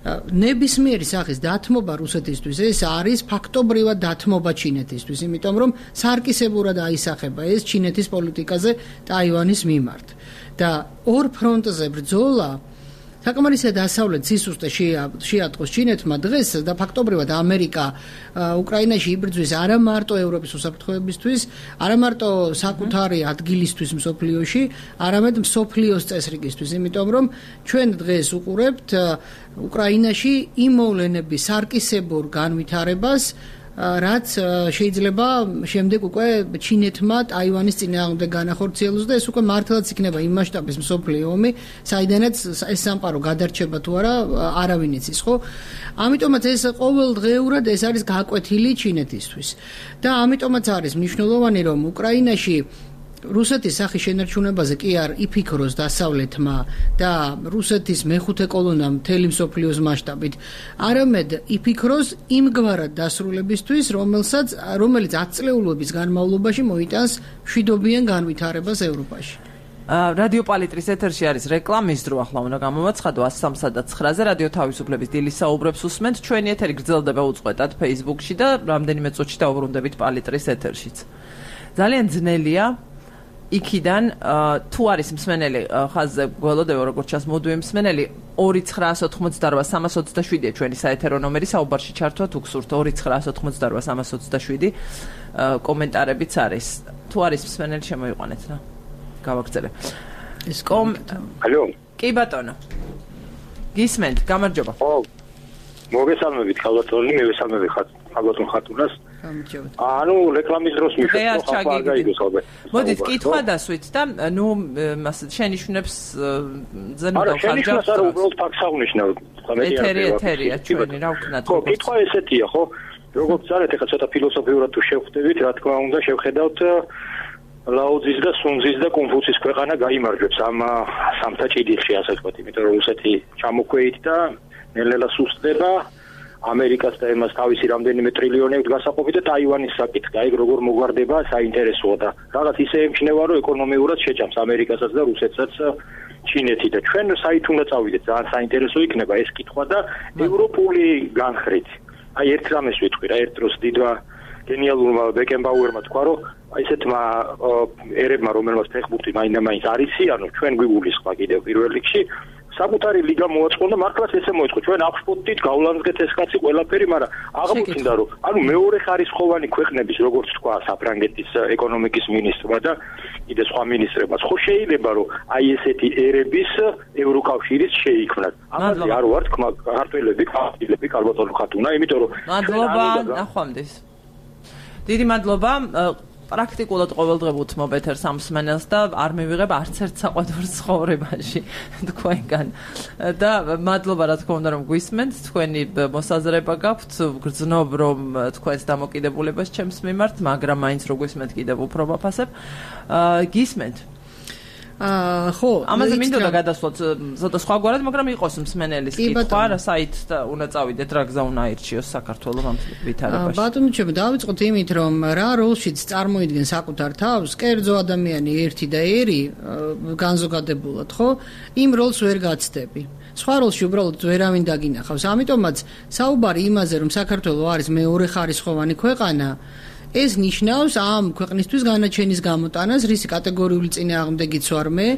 C: ნებისმიერი სახის დათმობა რუსეთისთვის ეს არის ფაქტობრივად დათმობა ჩინეთისთვის, იმიტომ რომ სარკისებურად აისახება ეს ჩინეთის პოლიტიკაზე ტაივანის მიმართ. და ორ ფრონტზე ბრძოლა საკმარისად დასავლეთ სისუსტე შეატყოს ჩინეთმა დღეს და ფაქტობრივად ამერიკა უკრაინაში იბრძვის არა მარტო ევროპის უსაფრთხოებისთვის, არა მარტო საკუთარი ადგილისთვის მსოფლიოში, არამედ მსოფლიოს წესრიგისთვის, იმიტომ რომ ჩვენ დღეს უყურებთ უკრაინაში იმ მოვლენების სარკისებურ განვითარებას, რაც შეიძლება შემდეგ უკვე ჩინეთმა ტაივანის წინააღმდეგ განახორციელოს და ეს უკვე მართლაც იქნება იმ მასშტაბის მსოფლიო ომი, საიდანაც ეს სამყარო გადარჩება თუ არა, არავინ იცის, ხო? ამიტომაც ეს ყოველდღიურად ეს არის გაკვეთილი ჩინეთისთვის. და ამიტომაც არის მნიშვნელოვანი, რომ უკრაინაში რუსეთის სახის შენარჩუნებაზე კი არ იფიქროს დასავლეთმა და რუსეთის მეხუთე კოლონამ მთელი მსოფლიოს მასშტაბით, არამედ იფიქროს იმგვარად დასრულებისთვის, რომელსაც რომელიც ათწლეულობის განმავლობაში მოიტანს მშვიდობიან განვითარებას ევროპაში.
A: რადიო პალიტრის ეთერში არის რეკლამის დრო, ახლა უნდა გამოვაცხადო one oh three და nine-ზე რადიო თავისუფლების დილის საუბრებს უსმენთ, ჩვენი ეთერი გრძელდება უწყვეტად Facebook-ში და რამდენიმე წუთში დავუბრუნდებით პალიტრის ეთერშიც. ძალიან ძნელია იქიდან თუ არის მსმენელი ხაზზე გველოდება როგორც ჩანს მოდუე მსმენელი two nine one eight three three three seven ჩვენი საეთერო ნომერი საუბარში ჩართვა თუ გსურთ two nine one eight three three seven კომენტარებიც არის თუ არის მსმენელი შემოიყვანეთ რა გავაგზავნე ეს
D: ალო
A: კი ბატონო გისმენთ გამარჯობა
D: ხო მოგესალმებით ქალბატონი მე ვესალმები ხარ ქალბატონ ხატუნას ანუ რეკლამის დროს მიხეთ ხო ხარ გაიგოს ალბათ
A: მოდით კითხვა დასვით და ნუ შენიშვნებს ზენ
D: დავხარჯავ არა შენიშვნას არა უბრალოდ ფაქტს აღნიშნავ
A: ეთერი ეთერია ჩვენი რა ვქნათ
D: ხო კითხვა ესეთია ხო როგორც ძალიან ეხლა ცოტა ფილოსოფიურად თუ შევხვდებით რა თქმა უნდა შევხედავთ ლაოძის და სუნძის და კონფუცის ქვეყანა გაიმარჯვებს ამ სამთა ჭიდიხში ასე ვთქვათ იმიტომ რომ რუსეთი ჩამოქვეით და ნელ-ნელა სუსტდება ამერიკას და ემას თავისი რამდენიმე ტრილიონებით გასაყოფი და ტაივანის საკითხი აი როგორ მოგვარდება საინტერესოა და რაღაც ისე ემჩნევა რომ ეკონომიურად შეჭამს ამერიკასაც და რუსეთსაც ჩინეთი და ჩვენ საით უნდა წავიდეთ ძალიან საინტერესო იქნება ეს კითხვა და ევროპული განხრით აი ერთ რამეს ვიტყვი რა ერთ დროს დიდვა გენიალურმა ბეკენბაუერმა თქვა რომ აი ესეთმა ერებმა რომელმაც ფეხბურთი მაინდა-მაინც არ იციანო ჩვენ გვიგულისხმა კიდევ პირველ რიგში საკუთარი ლიგა მოაწყო და მართლაც ესე მოეწყო ჩვენ აღშფოთდით გავლანსგეთ ეს კაცი ყველაფერი მაგრამ აღმოჩნდა რომ ანუ მეორე ხარისხოვანი ქვეყნების როგორც თქვა საფრანგეთის ეკონომიკის მინისტრმა და კიდე სხვა მინისტრებმაც ხო შეიძლება რომ აი ესეთი ერების ევროკავშირის შეიქმნას ამაზე არ ვარ თქმა ქართველები ქართველები ქალბატონო ხატუნა იმიტომ რომ
A: მადლობა ნახვამდის დიდი მადლობა პრაქტიკულად ყოველდღე ვუთმობ ეთერს ამ მსმენელს და არ მივიღებ არც ერთ საყვედურს ცხოვრებაში თქვენგან და მადლობა რა თქმა უნდა რომ გვისმენთ თქვენი მოსაზრება გაქვთ გრძნობ რომ თქვენს დამოკიდებულებას ჩემს მიმართ მაგრამ მაინც რო გვისმენთ კიდევ უფრო ვაფასებ გისმენთ
C: აა ხო,
A: ამაზე მინდოდა გადასვლოთ ზოთა სხვაგვარად, მაგრამ იყოს მსმენელის კითხვა, რა საით უნდა წავიდეთ, რა გზა უნდა აირჩიოს საქართველოს ამ ვითარებაში.
C: ბატონო, ჩემ დავიწყოთ იმით, რომ რა როლშიც წარმოიდგენს საკუთარ თავს, კერძო ადამიანი ერთი და ერი განზოგადებულად, ხო? იმ როლს ვერ გაცდები. სხვა როლში უბრალოდ ვერავინ დაგინახავს. ამიტომაც საუბარი იმაზე, რომ საქართველოს არის მეორე ხარისხოვანი ქვეყანა, ეს ნიშნავს ამ ქვეყნისთვის განაჩენის გამოტანას, რისი კატეგორიული წინააღმდეგიც ვარ მე.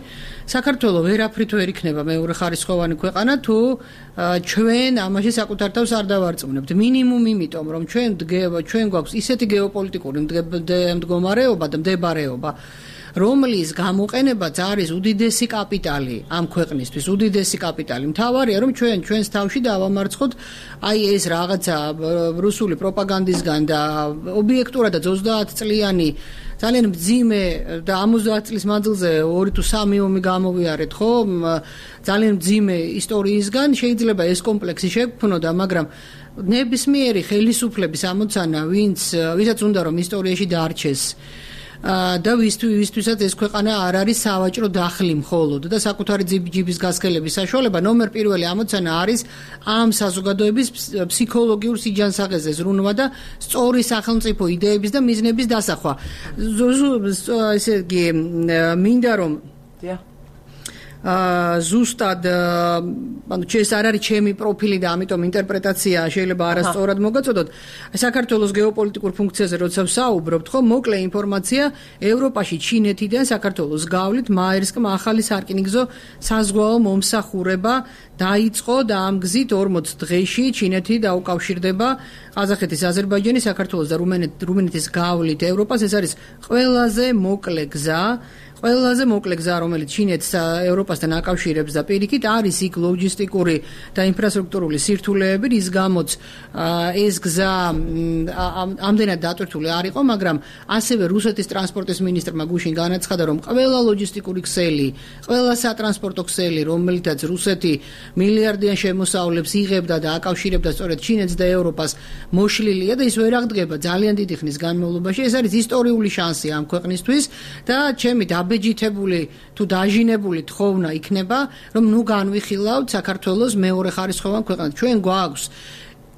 C: საქართველოს ვერაფრით ვერ იქნება მეორე ხარისხოვანი ქვეყანა, თუ ჩვენ ამაში საკუთარ თავს არ დავარწმუნებთ. მინიმუმ იმიტომ, რომ ჩვენ ჩვენ გვაქვს ისეთი გეოპოლიტიკური მდგომარეობა და მდებარეობა, რომლის გამოყენებაც არის უდიდესი კაპიტალი ამ ქვეყნისთვის, უდიდესი კაპიტალი. მთავარია, რომ ჩვენ ჩვენს თავში დავამარცხოთ აი ეს რაღაცა რუსული პროპაგანდისგან და ობიექტურადაც ოცდაათ წლიანი ძალიან მძიმე და ორმოცდაათ წლის მანძილზე ორი თუ სამი ომი გამოვიარეთ, ხო? ძალიან მძიმე ისტორიისგან შეიძლება ეს კომპლექსი შეგვქონოდა, მაგრამ ნებისმიერი ხელისუფლების ამოცანა, ვინც ვისაც უნდა რომ ისტორიაში დარჩეს და ვისთვისაც ეს ქვეყანა არ არის სავაჭრო დახლი მხოლოდ და საკუთარი ჯიბის გასქელების საშუალება, ნომერ პირველი ამოცანა არის ამ საზოგადოების ფსიქოლოგიურ სიჯანსაღეზე ზრუნვა და სწორი სახელმწიფო იდეების და მიზნების დასახვა. ესე იგი, მინდა რომ აა ზუსტად ანუ ეს არ არის ჩემი პროფილი და ამიტომ ინტერპრეტაცია შეიძლება არასწორად მოგაწოდოთ. საქართველოს გეოპოლიტიკურ ფუნქციაზე როცა ვსაუბრობთ, ხო, მოკლე ინფორმაცია, ევროპაში ჩინეთიდან საქართველოს გავლით მაერსკმა ახალი სარკინიგზო საზღვაო მომსახურება დაიწყო და ამ გზით ორმოც დღეში ჩინეთი დაუკავშირდება ყაზახეთის, აზერბაიჯანის, საქართველოს და რუმინეთის გავლით ევროპას. ეს არის ყველაზე მოკლე გზა. ყველაზე მოკლე გზა, რომელიც ჩინეთს ევროპასთან აკავშირებს და პირიქით არის იქ ლოჯისტიკური და ინფრასტრუქტურული სირთულეები, რის გამოც ეს გზა ამდენად დატვირთული არ იყო, მაგრამ ასევე რუსეთის ტრანსპორტის მინისტრმა გუშინ განაცხადა, რომ ყველა ლოჯისტიკური ქსელი, ყველა სატრანსპორტო ქსელი, რომელთაც რუსეთი მილიარდიან შემოსავლებს იღებდა და აკავშირებდა სწორედ ჩინეთს და ევროპას, მოშლილია და ის ვერ აღდგება ძალიან დიდი ხნის განმავლობაში. ეს არის ისტორიული შანსი ამ ქვეყნისთვის და ჩემი აბეჯითებული თუ დაჟინებული თხოვნა იქნება, რომ ნუ განვიხილავთ საქართველოს მეორე ხარისხოვან ქვეყანად. ჩვენ გვაქვს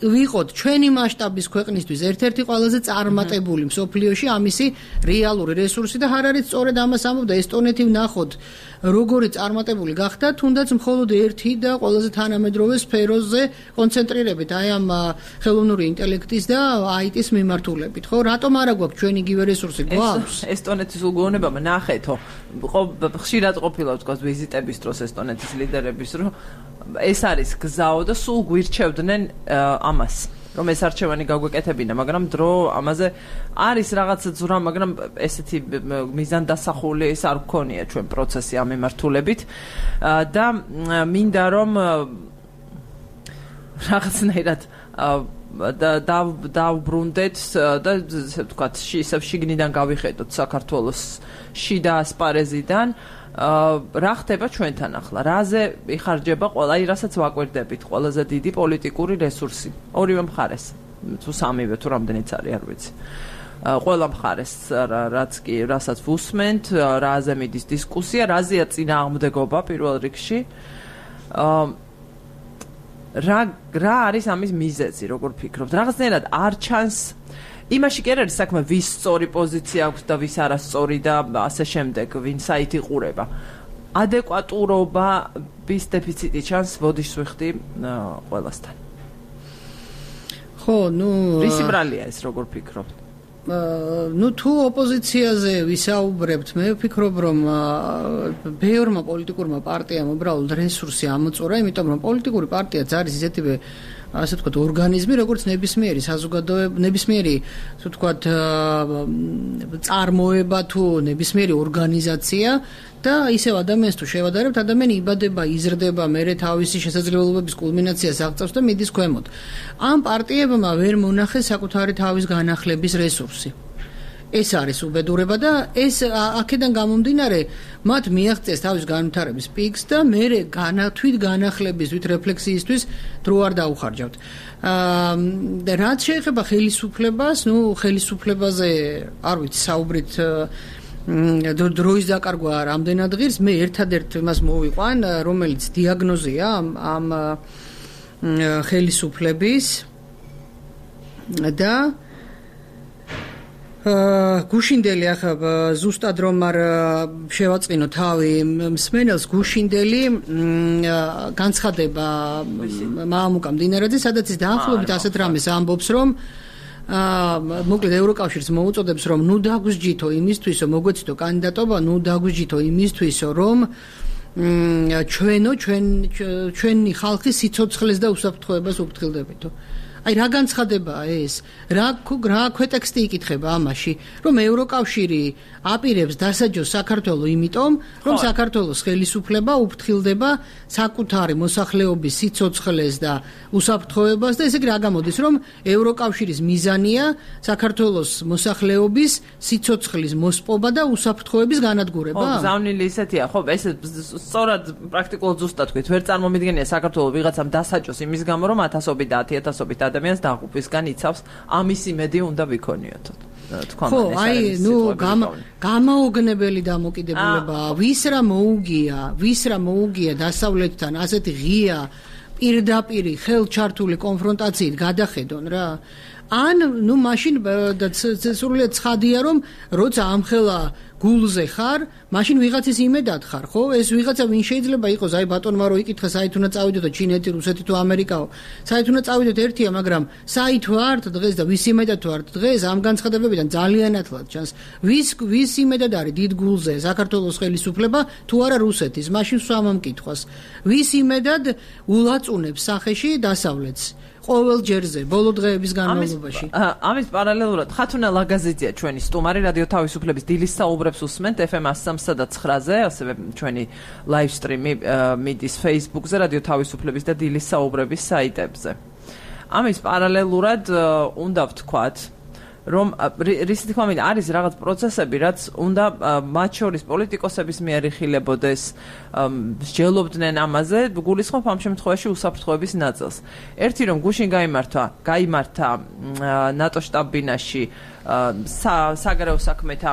C: ვიყოთ ჩვენი მასშტაბის ქვეყნისთვის ერთ-ერთი ყველაზე წარმატებული მსოფლიოში ამისი რეალური რესურსი და არ არის სწორედ ამას ამბობდა ესტონეთი ვნახოთ როგორი წარმატებული გახდა, თუნდაც მხოლოდ ერთი და ყველაზე თანამედროვე სფეროზე კონცენტრირებით აი ამ ხელოვნური ინტელექტის და აიტის მიმართულებით, ხო? რატომ არა გვაქვს ჩვენ იგივე რესურსი? გვაქვს.
A: ესტონეთის უგონებამ ნახეთო, ხშირად ყოფილა თქვა ვიზიტების დროს ესტონეთის ლიდერების, რომ ეს არის გზაო და სულ გვირჩევდნენ ამას, რომ ეს არჩევანი გაგვეკეთებინა, მაგრამ დრო ამაზე არის რაღაც ძვრა, მაგრამ ესეთი მიზანდასახული ეს არ გქონია ჩვენ პროცესი ამ მიმართულებით და მინდა რომ რაღაცნაირად და დავბრუნდეთ და ესე ვთქვათ, ისე შიგნიდან გავიხედოთ საქართველოს შიდა ასპარეზიდან. რა ხდება ჩვენთან ახლა? რაზე იხარჯება ყველა, აი რასაც ვაკვირდებით, ყველაზე დიდი პოლიტიკური რესურსი ორივე მხარეს, თუ სამივე, თუ რამდენიც არის, არ ვიცი. ყველა მხარეს, რაც კი რასაც ვუსმენთ, რაზე მიდის დისკუსია, რაზეა წინააღმდეგობა პირველ რიგში. რა რა არის ამის მიზეზი, როგორ ფიქრობთ? რაღაცნაირად არ ჩანს იმაში კი არ არის საქმე, ვის სწორი პოზიცია აქვს და ვის არასწორი და ასე შემდეგ, ვინ საით იყურება. ადეკვატურობა, ვის დეფიციტი ჩანს, ბოდიშს ვიხდი ყველასთან.
C: ხო, ნუ
A: რისი ბრალია ეს, როგორ ფიქრობთ?
C: ნუ თუ ოპოზიციაზე ვისაუბრებთ, მე ვფიქრობ, რომ ბევრმა პოლიტიკურმა პარტიამ უბრალოდ რესურსი ამოწურა, იმიტომ რომ პოლიტიკური პარტიაც არის ისეთივე ასე ვთქვათ, ორგანიზმი, როგორც ნებისმიერი საზოგადოება, ნებისმიერი, ასე ვთქვათ, წარმოება თუ ნებისმიერი ორგანიზაცია და ისევ ადამიანს თუ შევადარებთ, ადამიანი იბადება, იზრდება, მერე თავისი შესაძლებლობების კულმინაციას აღწევს და მიდის ქვემოთ. ამ პარტიებმა ვერ მონახეს საკუთარი თავის განახლების რესურსი. ეს არის უბედურება და ეს აქედან გამომდინარე მათ მიაღწიეს თავის განვითარების პიკს და მერე განათვით განახლებისთვის, რეფლექსიისთვის დრო არ დაუხარჯავთ. აა რაც შეეხება ხელისუფლებას, ნუ ხელისუფლებაზე არ ვიცი, საუბრით დროის დაკარგვა რამდენად ღირს, მე ერთადერთ იმას მოვიყვან, რომელიც დიაგნოზია ამ ხელისუფლების და გუშინდელი ახლა ზუსტად რომ არ შევაწყინო თავი მსმენელს გუშინდელი განცხადება მამუკა მდინარაძე, სადაც ის დაახლოებით ასეთ რამეს ამბობს, რომ აა მოკლედ ევროკავშირს მოუწოდებს, რომ ნუ დაგვსჯითო იმისთვისო, მოგვეცდო კანდიდატობა, ნუ დაგვსჯითო იმისთვისო, რომ ჩვენო ჩვენ ჩვენი ხალხი სიცოცხლეს და უსაფრთხოებას უფრთხილდებითო. აი რა განცხადებაა ეს? რა რა ქვეტექსტი იკითხება ამაში, რომ ევროკავშირი აპირებს დასაჯოს საქართველოს იმიტომ, რომ საქართველოს ხელისუფლება უფრთხილდება საკუთარი მოსახლეობის სიცოცხლეს და უსაფრთხოებას და ესე იგი რა გამოდის, რომ ევროკავშირის მიზანია საქართველოს მოსახლეობის სიცოცხლის მოსპობა და უსაფრთხოების განადგურება?
A: ხო, ზავნილი ისეთია, ხო, ეს სწორად პრაქტიკულად ზუსტად თქვით, ვერ წარმომიდგენია საქართველოს ვიღაცამ დასაჯოს იმის გამო, რომ ათასობით და ათი ათასობით ადამიანს დაღუპვისგან იცავს, ამის იმედი უნდა ვიქონიოთო.
C: ხო, აი, ნუ გამაოგნებელი დამოკიდებულებაა, ვის რა მოუგია, ვის რა მოუგია დასავლეთთან ასეთი ღია პირდაპირი ხელჩართული კონფრონტაციით გადახედონ რა. ან ნუ მაშინ სრულიად ცხადია, რომ როცა ამხელა გულზე ხარ, მაშინ ვიღაცის იმედად ხარ, ხო? ეს ვიღაცა ვინ შეიძლება იყოს, აი ბატონმა რო იკითხა, საით უნდა წავიდოთ, ჩინეთი, რუსეთი თუ ამერიკაო. საით უნდა წავიდოთ ერთია, მაგრამ საით ვართ დღეს და ვის იმედად ვართ დღეს, ამ განცხადებებიდან ძალიან ათლად ჩანს. ვის ვის იმედად არის დიდ გულზე საქართველოს ხელისუფლება თუ არა რუსეთის? მაშინ სვამამ კითხვას. ვის იმედად ულაწუნებს სახეში დასავლეთს? ყოველ ჯერზე, ბოლო დღეების განმავლობაში.
A: ამის პარალელურად ხათუნა ლაგაზიძეა ჩვენი სტუმარი რადიო თავისუფლების დილის საუბრებს უსმენთ ეფ ემ one oh three და nine-ზე, ასევე ჩვენი ლაივ სტრიმი მიდის Facebook-ზე, რადიო თავისუფლების და დილის საუბრების საიტებზე. ამის პარალელურად უნდა ვთქვათ, რომ რისი თქმა მინდა არის რაღაც პროცესები, რაც უნდა მათ შორის პოლიტიკოსების მიერ იხილებოდეს, მსჯელობდნენ ამაზე, გულისხმობ ამ შემთხვევაში უსაფრთხოების ნაწილს. ერთი რომ გუშინ გაიმართა, გაიმართა ნატო შტაბ-ბინაში საგარეო საქმეთა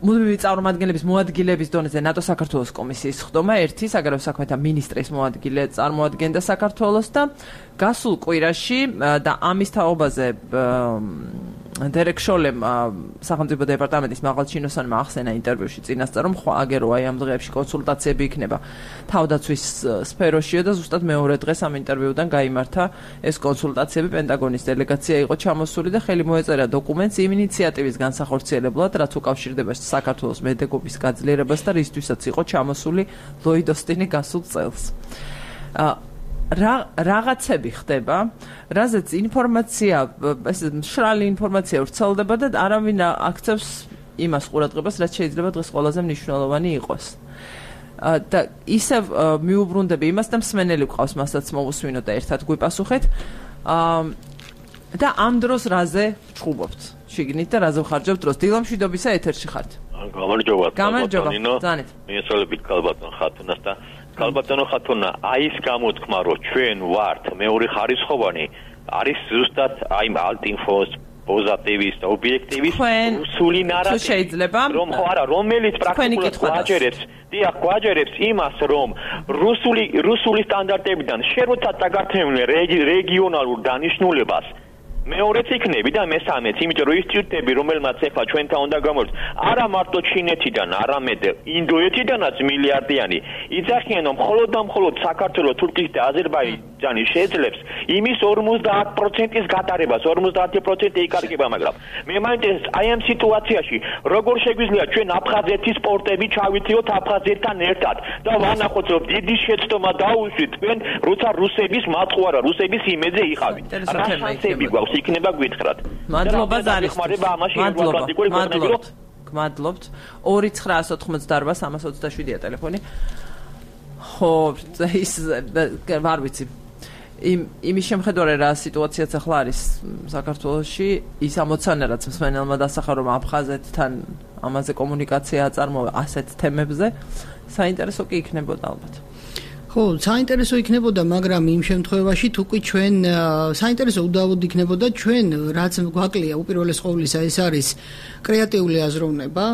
A: მუდმივი წარმომადგენლების მოადგილების დონეზე ნატო საქართველოს კომისიის ხდომა, ერთი საგარეო საქმეთა მინისტრის მოადგილე წარმოადგენდა საქართველოს და გასულ კვირაში და ამის თაობაზე დერეკ შოლემ სახელმწიფო დეპარტამენტის მაღალჩინოსანმა ახსენა ინტერვიუში წინასწარ, რომ აგერო აი ამ დღეებში კონსულტაციები იქნება თავდაცვის სფეროშიო და ზუსტად მეორე დღეს ამ ინტერვიუდან გაიმართა ეს კონსულტაციები. პენტაგონის დელეგაცია იყო ჩამოსული და ხელი მოეწერა დოკუმენტს იმ ინიციატივის განსახორციელებლად, რაც უკავშირდება საქართველოს მედეგობის გაძლიერებას და რისთვისაც იყო ჩამოსული ლოიდ ოსტინი გასულ წელს. რა რაღაცები ხდება, რაზეც ინფორმაცია, ეს მშრალი ინფორმაცია ვრცელდება და არავინ აქცევს იმას ყურადღებას, რაც შეიძლება დღეს ყველაზე მნიშვნელოვანი იყოს. და ისევ მიუბრუნდები იმას და მსმენელი გვყავს, მასაც მოვუსმინოთ და ერთად გვიპასუხეთ. და ამ დროს რაზე ვჭუბობთ? შიგნით და რაზე ვხარჯებთ დროს? დილამშვიდობისა ეთერში ხართ.
E: გამარჯობა.
A: გამარჯობა. ძალიან.
E: მიესალმებით ქალბატონ ხათუნას და ქალბატონო ხათუნა, აი ეს გამოთქმა, რომ ჩვენ ვართ მეორე ხარისხოვანი, არის ზუსტად აი ალტინფოს პოზიტივის და ობიექტივის რუსული ნარატივი, რომ ხო არა, რომელიც პრაქტიკულად გვაჯერებს, დიახ, გვაჯერებს იმას, რომ რუსული რუსული სტანდარტებიდან შეროცა წაგართმევენ რეგიონალურ დანიშნულებას მეორეც იქნები და მესამეც, იმიტომ რომ ის ტვიტები, რომელმაც ახლა ჩვენთან უნდა გამოვიდეთ, არა მარტო ჩინეთიდან, არამედ ინდოეთიდანაც მილიარდიანი იძახიან, რომ მხოლოდ და მხოლოდ საქართველოს, თურქეთის და აზერბაიჯანი შეძლებს იმის ორმოცდაათ პროცენტის გატარებას, ორმოცდაათი პროცენტი იკარგება, მაგრამ მე მაინტერესებს აი ამ სიტუაციაში, როგორ შეგვიძლია ჩვენ აფხაზეთის პორტები ჩავითიოთ აფხაზეთთან ერთად და ვანახოთ, რომ დიდი შეცდომა დაუშვით თქვენ, როცა რუსების მაწყვარა, რუსების იმედზე იყავით. რა შანსები გვაქვს? იქნება გვითხრათ.
A: მადლობა ძალიან. მადლობთ. გმადლობთ. ორი ცხრაას ოთხმოცდაარბა სამას ოცდაშვიდია ტელეფონი. ხო, ის ვარ ვიცი. იმ იმის შემხედარე რა სიტუაციაც ახლა არის საქართველოში, ის ამოცანა რაც მსმენელმა დასახა, რომ აფხაზეთთან ამაზე კომუნიკაცია აწარმოა ასეთ თემებზე, საინტერესო კი იქნებოდა ალბათ.
C: ხო, საინტერესო იქნებოდა, მაგრამ იმ შემთხვევაში თუ კი ჩვენ საინტერესო უდავოდ იქნებოდა ჩვენ რაც გვაკლია უპირველეს ყოვლისა ეს არის კრეატიული აზროვნება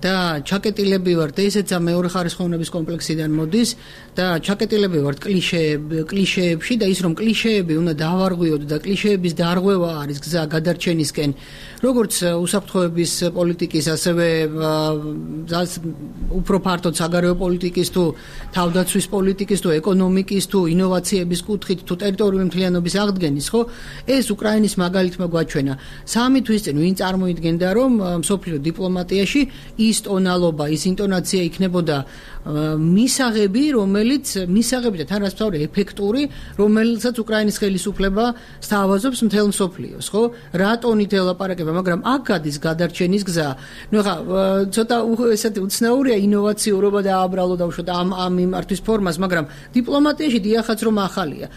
C: და ჩაკეტილები ვართ ესეც მეორე ხარისხოვნების კომპლექსიდან მოდის და ჩაკეტილები ვართ კლიშეები კლიშეებში და ის რომ კლიშეები უნდა დავარღვიოთ და კლიშეების დარღვევა არის გზა გადარჩენისკენ როგორც უსაფრთხოების პოლიტიკის ასევე უფრო ფართოდ საგარეო პოლიტიკის თუ თავდაცვის პოლიტიკის თუ ეკონომიკის თუ ინოვაციების კუთხით თუ ტერიტორიული მთლიანობის აღდგენის ხო ეს უკრაინის მაგალითმა გვაჩვენა სამი თვის წინ ვინ წარმოიდგენდა რომ მსოფლიო დიპლომატიაში ის ტონალობა ის ინტონაცია იქნებოდა მისაღები რომელიც მისაღები და თან რაც ვთქვი ეფექტური რომელსაც უკრაინის ხელისუფლება სთავაზობს მთელ მსოფლიოს ხო რა ტონით ელაპარაკება მაგრამ აქ გადის გადარჩენის გზა ნუ ხა ცოტა ესეთი უცნაურია ინოვაციურობა და აბრალო დავუშვათ ამ ამ მიმართვის ფორმას მაგრამ დიპლომატიაში დიახაც რომ ახალია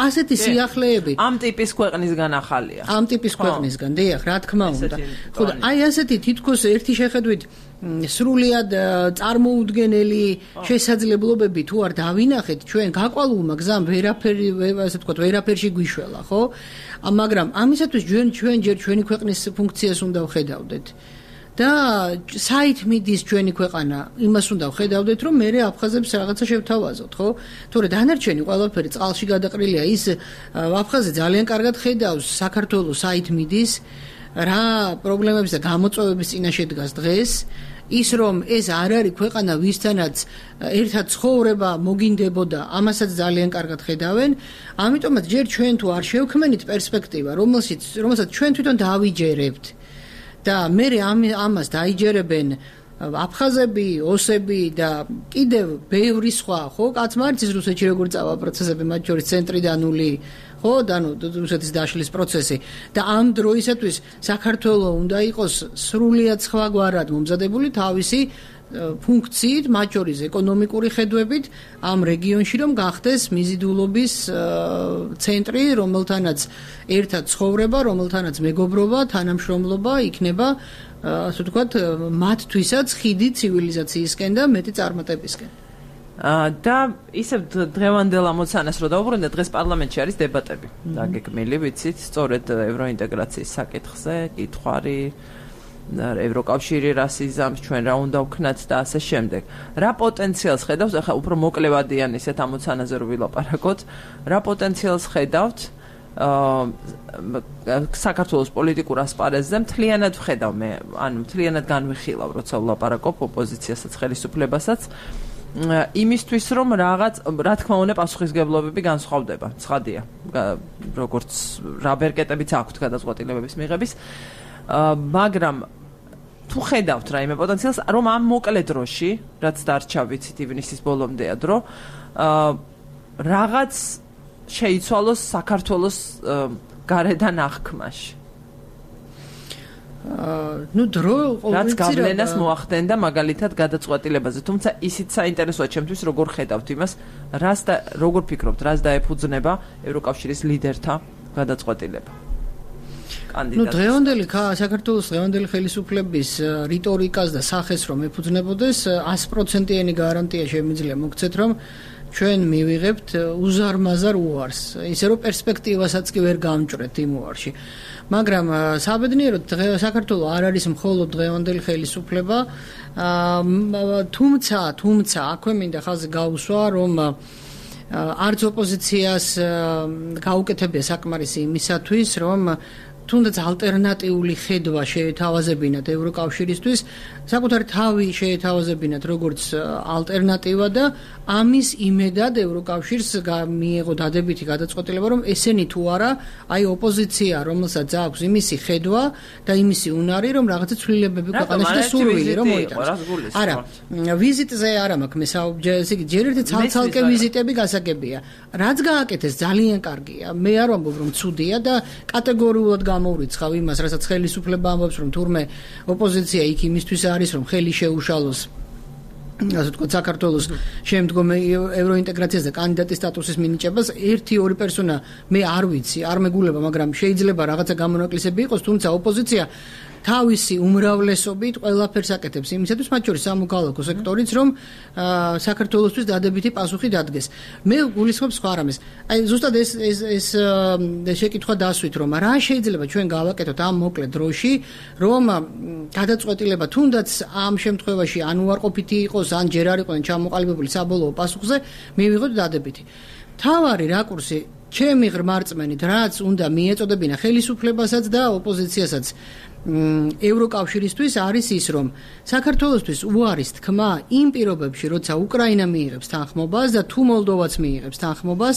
C: ასეთი სიახლეები
A: ამ ტიპის ქვეყნისგან ახალია
C: ამ ტიპის ქვეყნისგან დიახ რა თქმა უნდა ხო და აი ასეთი თითქოს ერთი შეხედვით სრულიად წარმოუდგენელი შესაძლებლობები თუ არ დავინახეთ ჩვენ გაკვალულმა გზამ ვერაფერი ასე ვთქვათ ვერაფერში გვიშველა ხო მაგრამ ამისათვის ჩვენ ჩვენ ჯერ ჩვენი ქვეყნის ფუნქციას უნდა ვხედავდეთ და საით მიდის ჩვენი ქვეყანა იმას უნდა ვხედავდეთ რომ მე აფხაზებს რაღაცა შევთავაზოთ ხო თორე დანარჩენი ყველაფერი წყალში გადაყრილია ის აფხაზი ძალიან კარგად ხედავს საქართველოს საით მიდის რა პრობლემების და გამოწვევების წინაშე დგას დღეს ის რომ ეს არ არის ქვეყანა ვისთანაც ერთად ცხოვრება მოგინდებოდა ამასაც ძალიან კარგად ხედავენ ამიტომაც ჯერ ჩვენ თუ არ შევქმნით პერსპექტივა რომელშიც რომელსაც ჩვენ თვითონ დავიჯერებთ და მე ამას დაიჯერებენ აფხაზები, ოსები და კიდევ ბევრი სხვა ხო კაც მარცის რუსეთში როგორ წავა პროცესები მათ შორის ცენტრიდანული ხო და ნუ რუსეთის დაშლის პროცესი და ამ დროისათვის საქართველოს უნდა იყოს სრულიად სხვაგვარად მომზადებული თავისი ფუნქციით მათ შორის ეკონომიკური ხედვებით ამ რეგიონში რომ გახდეს მიზიდულობის ცენტრი რომელთანაც ერთად ცხოვრება რომელთანაც მეგობრობა თანამშრომლობა იქნება ასე ვთქვათ მათთვისაც ხიდი ცივილიზაციისკენ და მეტი წარმატებისკენ
A: და ისევ დღევანდელ ამოცანას რო დავუბრუნდეთ დღეს პარლამენტში არის დებატები დაგეგმილი ვიცით სწორედ ევროინტეგრაციის საკითხზე კითხვარი ევროკავშირი რას იზამს ჩვენ რა უნდა ვქნათ და ასე შემდეგ რა პოტენციალს ხედავთ ახლა უფრო მოკლევადიან ისეთ ამოცანაზე რო ვილაპარაკოთ რა პოტენციალს ხედავთ საქართველოს პოლიტიკურ ასპარეზზე მთლიანად ვხედავ მე ანუ მთლიანად განვიხილავ როცა ვლაპარაკობ ოპოზიციასაც ხელისუფლებასაც იმისთვის რომ რაღაც რა თქმა უნდა პასუხისგებლობები განსხვავდება ცხადია როგორც რა ბერკეტებიც აქვთ გადაწყვეტილებების მიღების მაგრამ თუ ხედავთ რაიმე პოტენციალს რომ ამ მოკლე დროში რაც დარჩა ვიცით ივნისის ბოლომდეა დრო რაღაც შეიცვალოს საქართველოს გარედან აღქმაში
C: ну დრო
A: რაც გავლენას მოახდენდა მაგალითად გადაწყვეტილებაზე თუმცა ისიც საინტერესოა ჩემთვის როგორ ხედავთ იმას რას და როგორ ფიქრობთ რას დაეფუძნება ევროკავშირის ლიდერთა გადაწყვეტილება
C: ну დღევანდელი საქართველოს დღევანდელი ხელისუფლების რიტორიკას და სახეს რომ ეფუძნებოდეს ათი პროცენტიანი გარანტია შემიძლია მოგცეთ რომ ჩვენ მივიღებთ უზარმაზარ უარს ისე რომ პერსპექტივასაც კი ვერ გამჭრეთ იმ უარში მაგრამ საბედნიეროდ საქართველოს არ არის მხოლოდ დღევანდელი ხელისუფლება თუმცა თუმცა აქვე მინდა ხაზი გაუსვა რომ არც ოპოზიციას გაუკეთებია საკმარისი იმისათვის რომ თუნდაც ალტერნატიული ხედვა შეეთავაზებინათ ევროკავშირისთვის, საკუთარი თავი შეეთავაზებინათ როგორც ალტერნატივა და ამის იმედად ევროკავშირს მიიღო დადებითი გადაწყვეტილება, რომ ესენი თუ არა, აი ოპოზიცია, რომელსაც აქვს იმისი ხედვა და იმისი უნარი, რომ რაღაცა ცვლილებები ქვეყანაში და სურვილი რომ მოიტანოს. არა, ვიზიტზე არა მაქვს მე საუბჯენი, ჯერ ერთი ცალ-ცალკე ვიზიტები გასაგებია. რაც გააკეთეს ძალიან კარგია. მე არ ვამბობ რომ ცუდია და კატეგორიულად გამოვრიცხავ იმას, რასაც ხელისუფლება ამბობს, რომ თურმე ოპოზიცია იქ იმისთვის არის, რომ ხელი შეუშალოს ასე ვთქვათ, საქართველოს შემდგომ ევროინტეგრაციას და კანდიდატის სტატუსის მინიჭებას ერთი ორი პერსონა მე არ ვიცი, არ მეგულება, მაგრამ შეიძლება რაღაცა გამონაკლისები იყოს, თუმცა ოპოზიცია თავისი უმრავლესობით ყველაფერს აკეთებს იმისათვის, მათ შორის სამოქალაქო სექტორიც, რომ საქართველოსთვის დადებითი პასუხი დადგეს. მე გულისხმობ სხვა რამეს. აი ზუსტად ეს ეს ეს შეკითხვა დასვით, რომ რა შეიძლება ჩვენ გავაკეთოთ ამ მოკლე დროში, რომ გადაწყვეტილება თუნდაც ამ შემთხვევაში ან უარყოფითი იყოს, ან ჯერ არ იყვნენ ჩამოყალიბებული საბოლოო პასუხზე, მივიღოთ დადებითი. თავარი რაკურსი ჩემი ღრმარწმენით, რაც უნდა მიეწოდებინა ხელისუფლებასაც და ოპოზიციასაც ევროკავშირისთვის არის ის, რომ საქართველოსთვის უარის თქმა იმ პირობებში, როცა უკრაინა მიიღებს თანხმობას და თუ მოლდოვაც მიიღებს თანხმობას,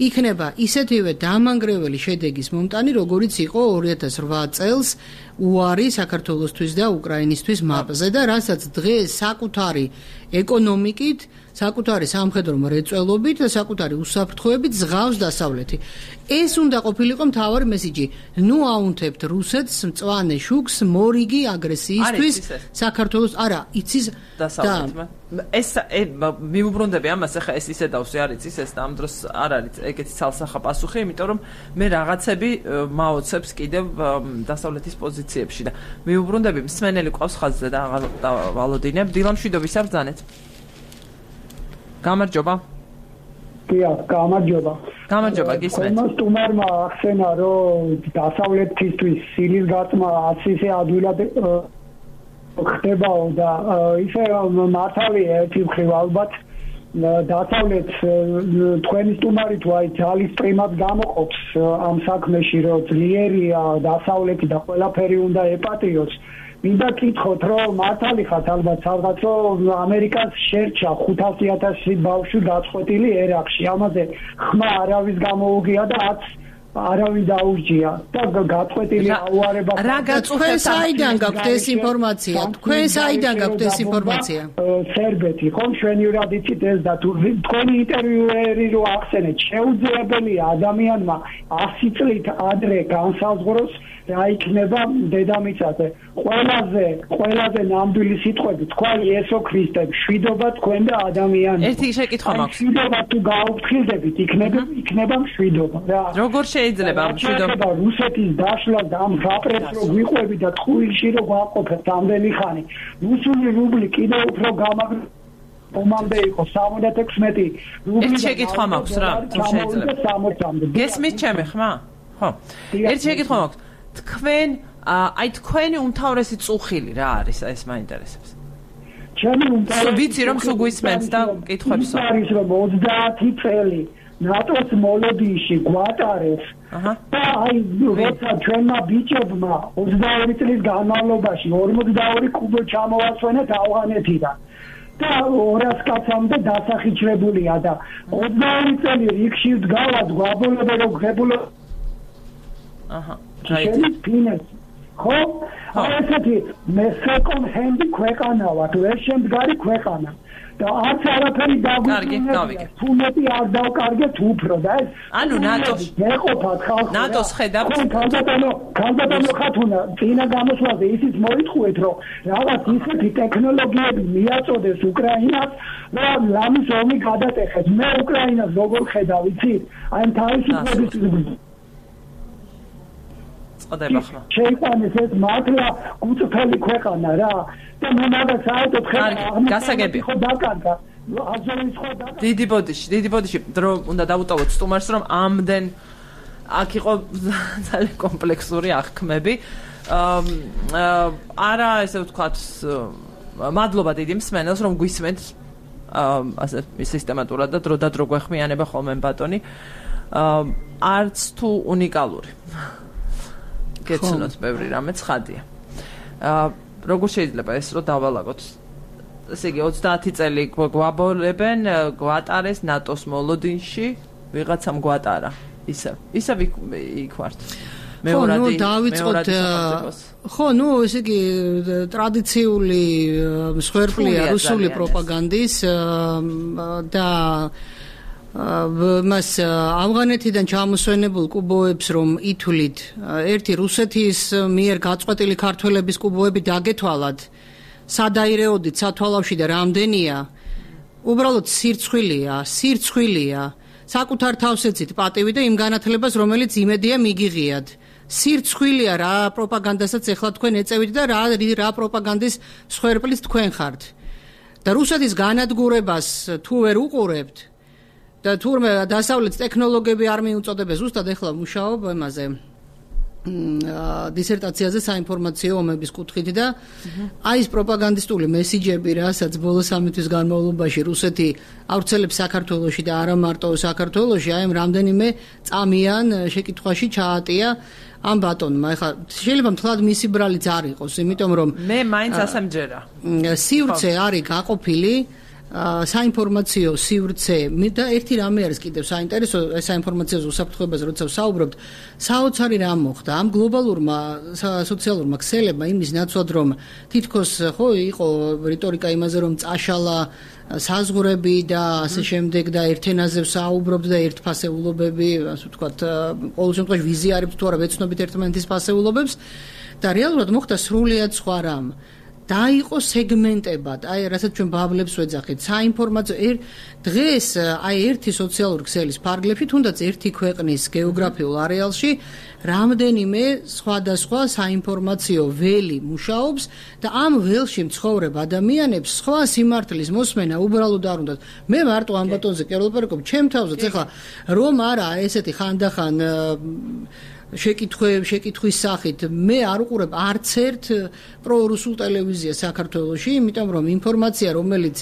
C: იქნება ისეთივე დამანგრეველი შედეგის მომტანი, როგორიც იყო ორი ათას რვა წელს უარი საქართველოსთვის და უკრაინისთვის მაპზე და რასაც დღეს საკუთარი ეკონომიკით, საკუთარი სამხედრო მრეწველობით და საკუთარი უსაფრთხოებით ზღავს დასავლეთი. ეს უნდა ყოფილიყო მთავარი მესიჯი. ნუ აუნთებთ რუსეთს მწვანე შუქს მორიგი აგრესიისთვის საქართველოს არა იცის
A: დასავლეთმა. ეს მიუბრუნდები ამას, ახლა ეს ისე დავსი არ იცის ეს და ამ დროს არ არის ეგეთი ცალსახა პასუხი, იმიტომ რომ მე რაღაცები მაოცებს კიდევ დასავლეთის პოზიციებში და მიუბრუნდები მსმენელი ყავს ხაზზე და აღარ ვალოდინებ. დილა მშვიდობის საბრძანეთ. გამარჯობა.
F: დიახ, გამარჯობა.
A: გამარჯობა, გისმენთ.
F: ხომ სტუმარმა ახსენა, რომ დასავლეთისთვის სილის გაწმა არც ისე ადვილად ხდებაო და ისე მართალია ერთი მხრივ ალბათ დასავლეთ თქვენი სტუმარი თუ აი ძალის პრიმად გამოყოფს ამ საქმეში, რომ ძლიერია დასავლეთი და ყველაფერი უნდა ეპატრიოს. მინდა კითხოთ, რომ მართალი ხართ ალბათ სადღაც რომ ამერიკას შერჩა ხუთასი ათასი ბავშვი გაწყვეტილი ერაყში. ამაზე ხმა არავის გამოუგია და არც არავინ დაურჯია და გაწყვეტილი აუარება.
C: რა გაწყვეტს საიდან გაქვთ ეს ინფორმაცია? თქვენ საიდან გაქვთ ეს ინფორმაცია?
F: სერბეთი, ხომ შვენივრად იცით ეს და თუ თქვენი ინტერვიუერი რო ახსენეთ, შეუძლებელია ადამიანმა ასი წლით ადრე განსაზღვროს რა იქნება დედამიწაზე. ყველაზე ყველაზე ნამდვილი სიტყვები თქვა იესო ქრისტე, მშვიდობა თქვენ და ადამიანები.
A: ერთი შეკითხვა მაქვს.
F: მშვიდობა თუ გაუფრთხილდებით, იქნება იქნება მშვიდობა რა.
A: როგორ შეიძლება ამ მშვიდობა
F: რუსეთის დაშლა და ამ რაპრეს რო გვიყვები და ტყუილში რო გვაყოფეთ ამდენი ხანი. რუსული რუბლი კიდევ უფრო გამაგრ ომამდე იყო სამოცდაექვსი რუბლი.
A: ერთი შეკითხვა მაქვს რა, თუ შეიძლება. გესმით ჩემი ხმა? ხო. ერთი შეკითხვა მაქვს. თქვენ აი თქვენი უმთავრესი წუხილი რა არის? ეს მაინტერესებს.
F: ჩემი უმთავრესი
A: ვიცი რომ სულ გვისმენთ და კითხვებსო.
F: არის რომ ოცდაათი წელი ნატოს მოლოდინში გვატარეს. აჰა. და აი როცა ჩვენმა ბიჭებმა ოცდაორი წლის განმავლობაში ორმოცდაორი კუბო ჩამოვასვენეთ ავღანეთიდან. და ორას კაცამდე დასახიჩრებულია და ოცდაორი წელი რიგში დგავად გვაბოლები რომ ღებულო
A: აჰა.
F: ფინეს ხო? აი ესეთი მე სეკონდ ჰენდი ქვეყანა ვარ, ვერ შემდგარი ქვეყანა. და არც არაფერი დაგვიგებია. თუმეტი არ დავკარგეთ უფრო და ეს
A: ანუ ნატოს
F: მეყოფათ ხალხი.
A: ნატოს ხედავთ.
F: ქალბატონო, ქალბატონო ხათუნა, წინა გამოსვლაზე ისიც მოითხოვეთ, რომ რაღაც ისეთი ტექნოლოგიები მიაწოდეს უკრაინას და ლამის ომი გადატეხეთ. მე უკრაინას როგორ ხედავ, იცით? აი თავისუფლების
A: წოდება ხმა.
F: შეიყვანეს ეს მართლა გუწფელი ქვეყანა რა და მე მაგას საერთოდ ხედავ
A: გასაგები
F: ხო დაკარგა აზოვის ხო დაკარგა
A: დიდი ბოდიში დიდი ბოდიში დრო უნდა დავუტოვოთ სტუმარს რომ ამდენ აქ იყო ძალიან კომპლექსური აღქმები არა ესე ვთქვათ მადლობა დიდი მსმენელს რომ გვისმენთ ასე სისტემატურად და დრო და დრო გვეხმიანება ხოლმე ბატონი არც თუ უნიკალური გეცნოთ ბევრი რამე ცხადია. აა როგორ შეიძლება ეს რო დავალაგოთ? ესე იგი ოცდაათი წელი გვაბოლებენ, გვატარეს ნატოს მოლოდინში, ვიღაცამ გვატარა. ისე. ისე იქ ვართ.
C: მეორადი ხო, ნუ დავიწყოთ. ხო, ნუ ესე იგი ტრადიციული მსხვერპლია რუსული პროპაგანდის და მას ავღანეთიდან ჩამოსვენებულ კუბოებს რომ ითვლით ერთი რუსეთის მიერ გაწყვეტილი ქართველების კუბოები დაგეთვალათ სადაირეოდით სათვალავში და რამდენია უბრალოდ სირცხვილია სირცხვილია საკუთარ თავს ეცით პატივი და იმ განათლებას რომელიც იმედია მიგიღიათ სირცხვილია რა პროპაგანდასაც ეხლა თქვენ ეწევით და რა რა პროპაგანდის მსხვერპლის თქვენ ხართ. და რუსეთის განადგურებას თუ ვერ უყურებთ და თურმე დასავლეთის ტექნოლოგიები არ მიუწოდებენ ზუსტად ეხლა მუშაობ იმაზე დისერტაციაზე საინფორმაციო ომების კუთხით და აი ეს პროპაგანდისტული მესიჯები, რასაც ბოლო სამი თვის განმავლობაში რუსეთი ავრცელებს საქართველოში და არა მარტო საქართველოში, აი ამ რამდენიმე წამიან შეკითხვაში ჩაატია ამ ბატონმა. ეხლა შეიძლება მთლად მისი ბრალიც არ იყოს, იმიტომ რომ
A: მე მაინც ასე მჯერა.
C: სივრცე არის გაყოფილი საინფორმაციო სივრცე და ერთი რამე არის კიდევ საინტერესო საინფორმაციო უსაფრთხოებაზე როცა ვსაუბრობთ საოცარი რამ მოხდა ამ გლობალურმა სოციალურმა ქსელებმა იმის ნაცვლად რომ თითქოს ხო იყო რიტორიკა იმაზე რომ წაშალა საზღვრები და ასე შემდეგ და ერთენაზე ვსაუბრობთ და ერთფასეულობები ასე ვთქვათ ყოველ შემთხვევაში ვიზიარებთ თუ არა ვეცნობით ერთმანეთის ფასეულობებს და რეალურად მოხდა სრულიად სხვა რამ. დაიყო სეგმენტებად, აი რასაც ჩვენ ბაბლებს ვეძახით, საინფორმაციო er, დღეს აი ერთი სოციალური ქსელის ფარგლებში, თუნდაც ერთი ქვეყნის გეოგრაფიულ არეალში რამდენიმე სხვადასხვა საინფორმაციო ველი მუშაობს და ამ ველში მცხოვრებ ადამიანებს სხვა სიმართლის მოსმენა უბრალოდ არ უნდათ. მე მარტო ამ ბატონზე კი არ ვლაპარაკობ, ჩემ თავზეც ეხლა რომ არა ესეთი ხანდახან შეკითხვები, შეკითხვის სახით მე არ უყურებ არც ერთ პრორუსულ ტელევიზიას საქართველოში, იმიტომ რომ ინფორმაცია, რომელიც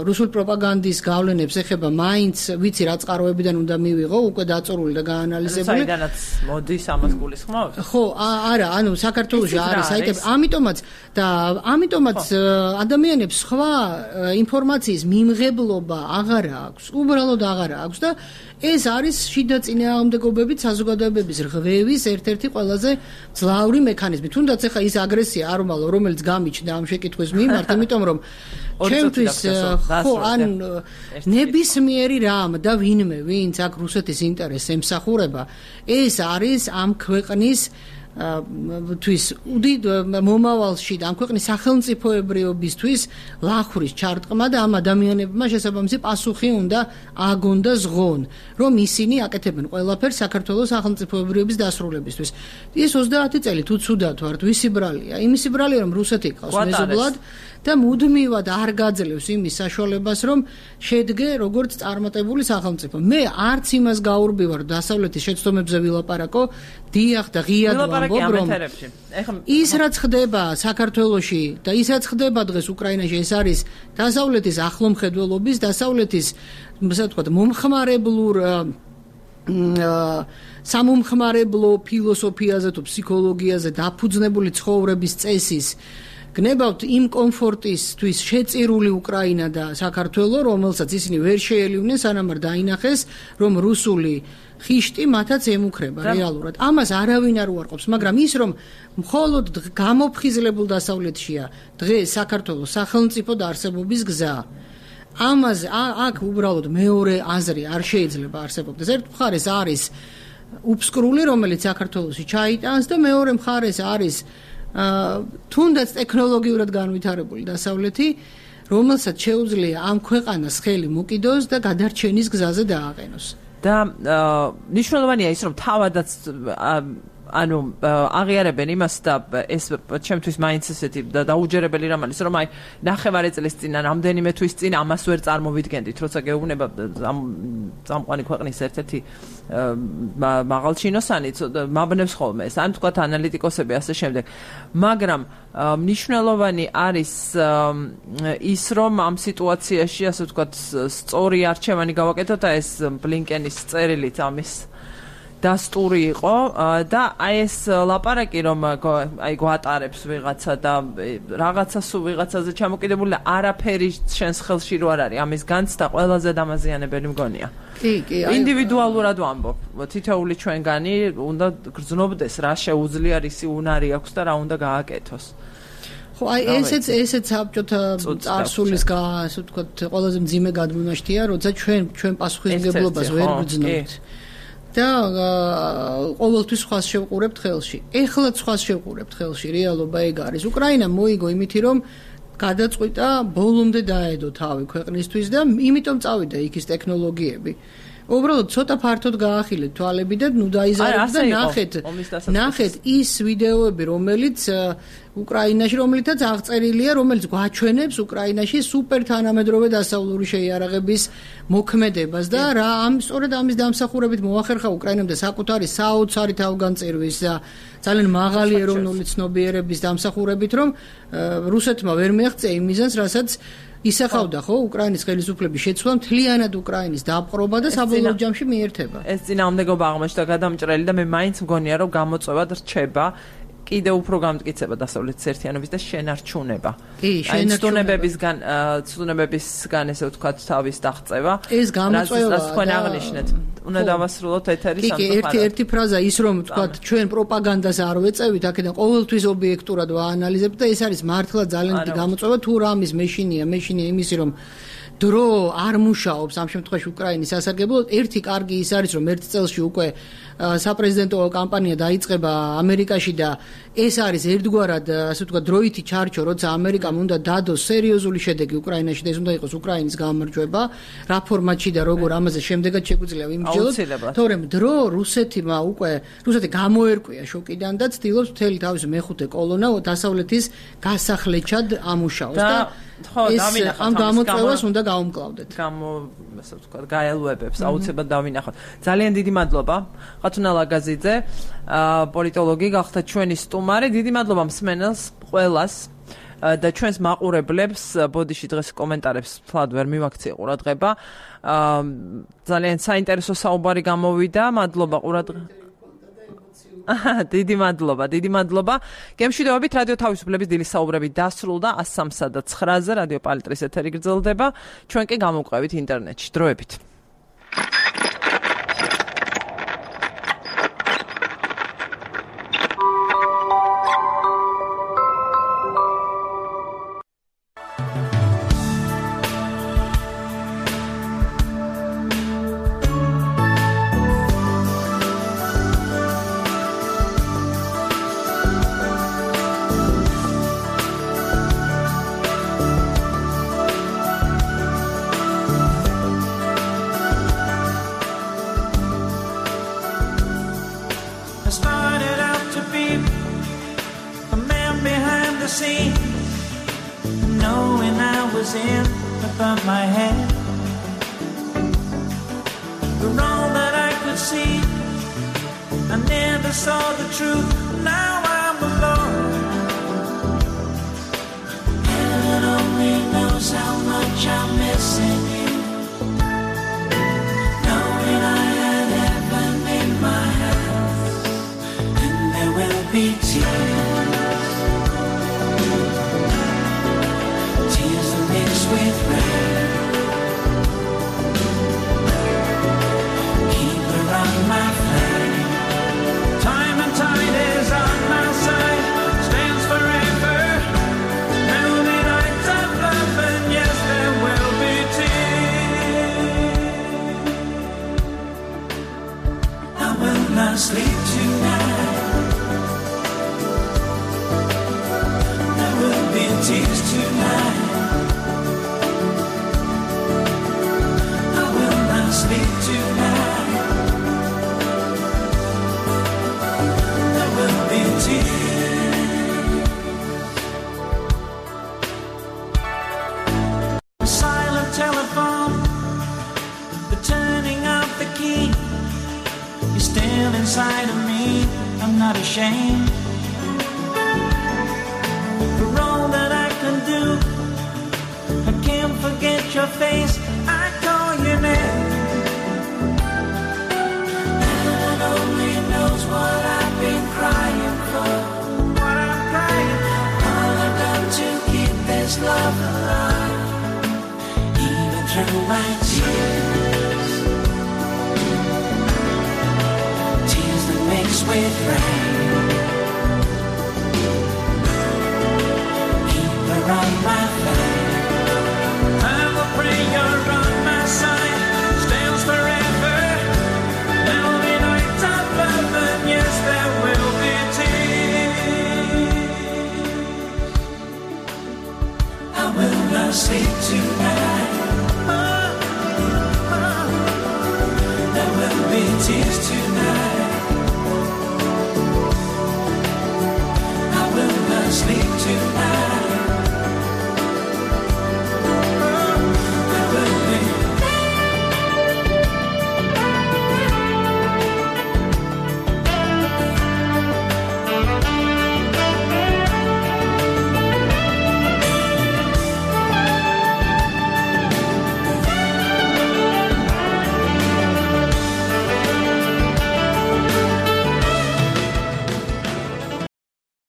C: რუსულ პროპაგანდის გავლენებს ეხება, მაინც ვიცი რა წყაროებიდან უნდა მივიღო, უკვე დაწურული და გაანალიზებული.
A: საიდანაც მოდის ამას გულისხმობთ?
C: ხო, არა, ანუ საქართველოში არის საიტები, ამიტომაც და ამიტომაც ადამიანებს სხვა ინფორმაციის მიმღებლობა აღარ აქვს, უბრალოდ აღარ აქვს და ეს არის შიდა წინააღმდეგობებით საზოგადოებების რღვევის ერთ-ერთი ყველაზე ძლავრი მექანიზმი. თუნდაც ეხა ის აგრესია არმალო, რომელიც გამიჩნდა ამ შეკითხვის მიმართ, იმიტომ რომ ჩემთვის ხო ან ნებისმიერი რამ და ვინმე, ვინც აქ რუსეთის ინტერესს ემსახურება, ეს არის ამ ქვეყნის თვის უდიდ მომავალში და ამ ქვეყნის სახელმწიფოებრიობისთვის ლახურის ჩარტყმა და ამ ადამიანებმა შესაბამისი პასუხი უნდა აგონ და ზღონ, რომ ისინი აკეთებენ ყველაფერს საქართველოს სახელმწიფოებრიობის დასრულებისთვის. ეს ოცდაათი წელი თუ ცუდად ვართ, ვისი ბრალია? იმისი ბრალია, რომ რუსეთი ყავს მეზობლად და მუდმივად არ გაძლევს იმის საშუალებას, რომ შედგე როგორც წარმატებული სახელმწიფო. მე არც იმას გაურბივარ დასავლეთის შეცდომებზე ვილაპარაკო, დიახ და ღიად ვამბობ, რომ ის რაც ხდება საქართველოში და ის რაც ხდება დღეს უკრაინაში, ეს არის დასავლეთის ახლომხედველობის, დასავლეთის, ასე ვთქვათ, მომხმარებლურ სამომხმარებლო ფილოსოფიაზე თუ ფსიქოლოგიაზე დაფუძნებული ცხოვრების წესის გნებავთ იმ კომფორტისთვის შეწირული უკრაინა და საქართველო, რომელსაც ისინი ვერ შეელივნენ სანამ არ დაინახეს, რომ რუსული ხიშტი მათაც ემუქრება რეალურად. ამას არავინ არ უარყოფს, მაგრამ ის რომ მხოლოდ გამოფხიზლებულ დასავლეთშია დღეს საქართველოს სახელმწიფო დაარსებობის გზა. ამაზე აქ უბრალოდ მეორე აზრი არ შეიძლება არსებობდეს. ერთ მხარეს არის უფსკრული, რომელიც საქართველოში ჩაიტანს და მეორე მხარეს არის თუნდაც ტექნოლოგიურად განვითარებული დასავლეთი, რომელსაც შეუძლია ამ ქვეყანას ხელი მოკიდოს და გადარჩენის გზაზე დააყენოს.
A: და ნიშნულოვანია ის, რომ თავადაც ანუ აღიარებენ იმას და ეს ჩემთვის მაინც ესეთი დაუჯერებელი რამ არის, რომ აი ნახევარი წლის წინ ან რამდენიმე თვის წინ ამას ვერ წარმოვიდგენდით, როცა გეუბნება წამყვანი ქვეყნის ერთ-ერთი მაღალჩინოსანი მაბნევს ხოლმე ეს, ან თქვათ ანალიტიკოსები ასე შემდეგ. მაგრამ მნიშვნელოვანი არის ის, რომ ამ სიტუაციაში ასე ვთქვათ სწორი არჩევანი გავაკეთოთ და ეს ბლინკენის წერილით ამის დასტური იყო და აი ეს ლაპარაკი რომ აი გვატარებს ვიღაცა და რაღაცა სულ ვიღაცაზე ჩამოკიდებული და არაფერი შენს ხელში რო არ არის ამის განცდა ყველაზე დამაზიანებელი მგონია.
C: კი, კი, აი
A: ინდივიდუალურად ვამბობ. თითოეული ჩვენგანი უნდა გრძნობდეს რა შეუძლია, რისი უნარი აქვს და რა უნდა გააკეთოს.
C: ხო, აი ესეც ესეც საბჭოთა წარსულის ასე ვთქვათ ყველაზე მძიმე გადმონაშთია, როცა ჩვენ ჩვენ პასუხისმგებლობას ვერ გრძნობთ. და ყოველთვის სხვას შევყურებთ ხელში. ეხლაც სხვას შევყურებთ ხელში, რეალობა ეგ არის. უკრაინა მოიგო იმითი, რომ გადაწყვიტა ბოლომდე დაედო თავი ქვეყნისთვის და იმიტომ წავიდა იქ ის ტექნოლოგიები. უბრალოდ ცოტა ფართოდ გაახილეთ თვალები და ნუ დაიზარდეთ და ნახეთ ნახეთ ის ვიდეოები რომელიც უკრაინაში რომელიცაც აღწერილია რომელიც გვაჩვენებს უკრაინაში სუპერ თანამედროვე დასავლური შეიარაღების მოქმედებას და რა ამ სწორედ ამის დამსახურებით მოახერხა უკრაინამ და საკუთარი საოცარი თავგანწირვის და ძალიან მაღალი ეროვნული ცნობიერების დამსახურებით რომ რუსეთმა ვერ მიაღწია იმ მიზანს რასაც ისახავდა ხო უკრაინის ხელისუფლების შეცვლა მთლიანად უკრაინის დაპყრობა და საბოლოო ჯამში მიერთება.
A: ეს წინააღმდეგობა აღმოჩნდა გადამჭრელი და მე მაინც მგონია რომ გამოწვევა რჩება კიდევ უფრო გამტკიცება დასავლეთის ერთიანობის და შენარჩუნება.
C: კი,
A: შენარჩუნებებისგან ცუნებებისგან ესე ვთქვათ თავის დაღწევა.
C: ეს გამოწვევა
A: რაც თქვენ აღნიშნეთ. უნდა დავასრულოთ ეთერი
C: სამწუხაროდ. კი, ერთი ერთი ფრაზა ის რომ ვთქვათ ჩვენ პროპაგანდას არ ვეწევით, აქედან ყოველთვის ობიექტურად ვაანალიზებთ და ეს არის მართლა ძალიან დიდი გამოწვევა თუ რამის მეშინია, მეშინია იმისი რომ დრო არ მუშაობს ამ შემთხვევაში უკრაინის სასარგებლოდ. ერთი კარგი ის არის რომ ერთ წელში უკვე საპრეზიდენტო კამპანია დაიწყება ამერიკაში და ეს არის ერთგვარად ასე ვთქვათ დროითი ჩარჩო როცა ამერიკამ უნდა დადოს სერიოზული შედეგი უკრაინაში და ეს უნდა იყოს უკრაინის გამარჯვება რა ფორმატში და როგორ ამაზე შემდეგაც შეგვიძლია ვიმსჯელოთ თორემ დრო რუსეთმა უკვე რუსეთი გამოერკვია შოკიდან და ცდილობს მთელი თავის მეხუთე კოლონა დასავლეთის გასახლეჩად ამუშაოს და ხო დავინახოთ ამ გამოწვევას უნდა გაუმკლავდეთ
A: გამო ასე ვთქვათ გაელვებებს აუცილებლად დავინახოთ ძალიან დიდი მადლობა ხათუნა ლაგაზიძე პოლიტოლოგი გახდა ჩვენი სტუმარი დიდი მადლობა მსმენელს ყველას და ჩვენს მაყურებლებს ბოდიში დღეს კომენტარებს თლად ვერ მივაქციე ყურადღება ძალიან საინტერესო საუბარი გამოვიდა მადლობა ყურადღებას დიდი მადლობა, დიდი მადლობა. გემშვიდობებით რადიო თავისუფლების დილის საუბრები დასრულდა ას სამსა და ცხრაზე რადიო პალიტრის ეთერი გრძელდება. ჩვენ კი გამოვყვებით ინტერნეტში. დროებით.
G: Sleep tonight.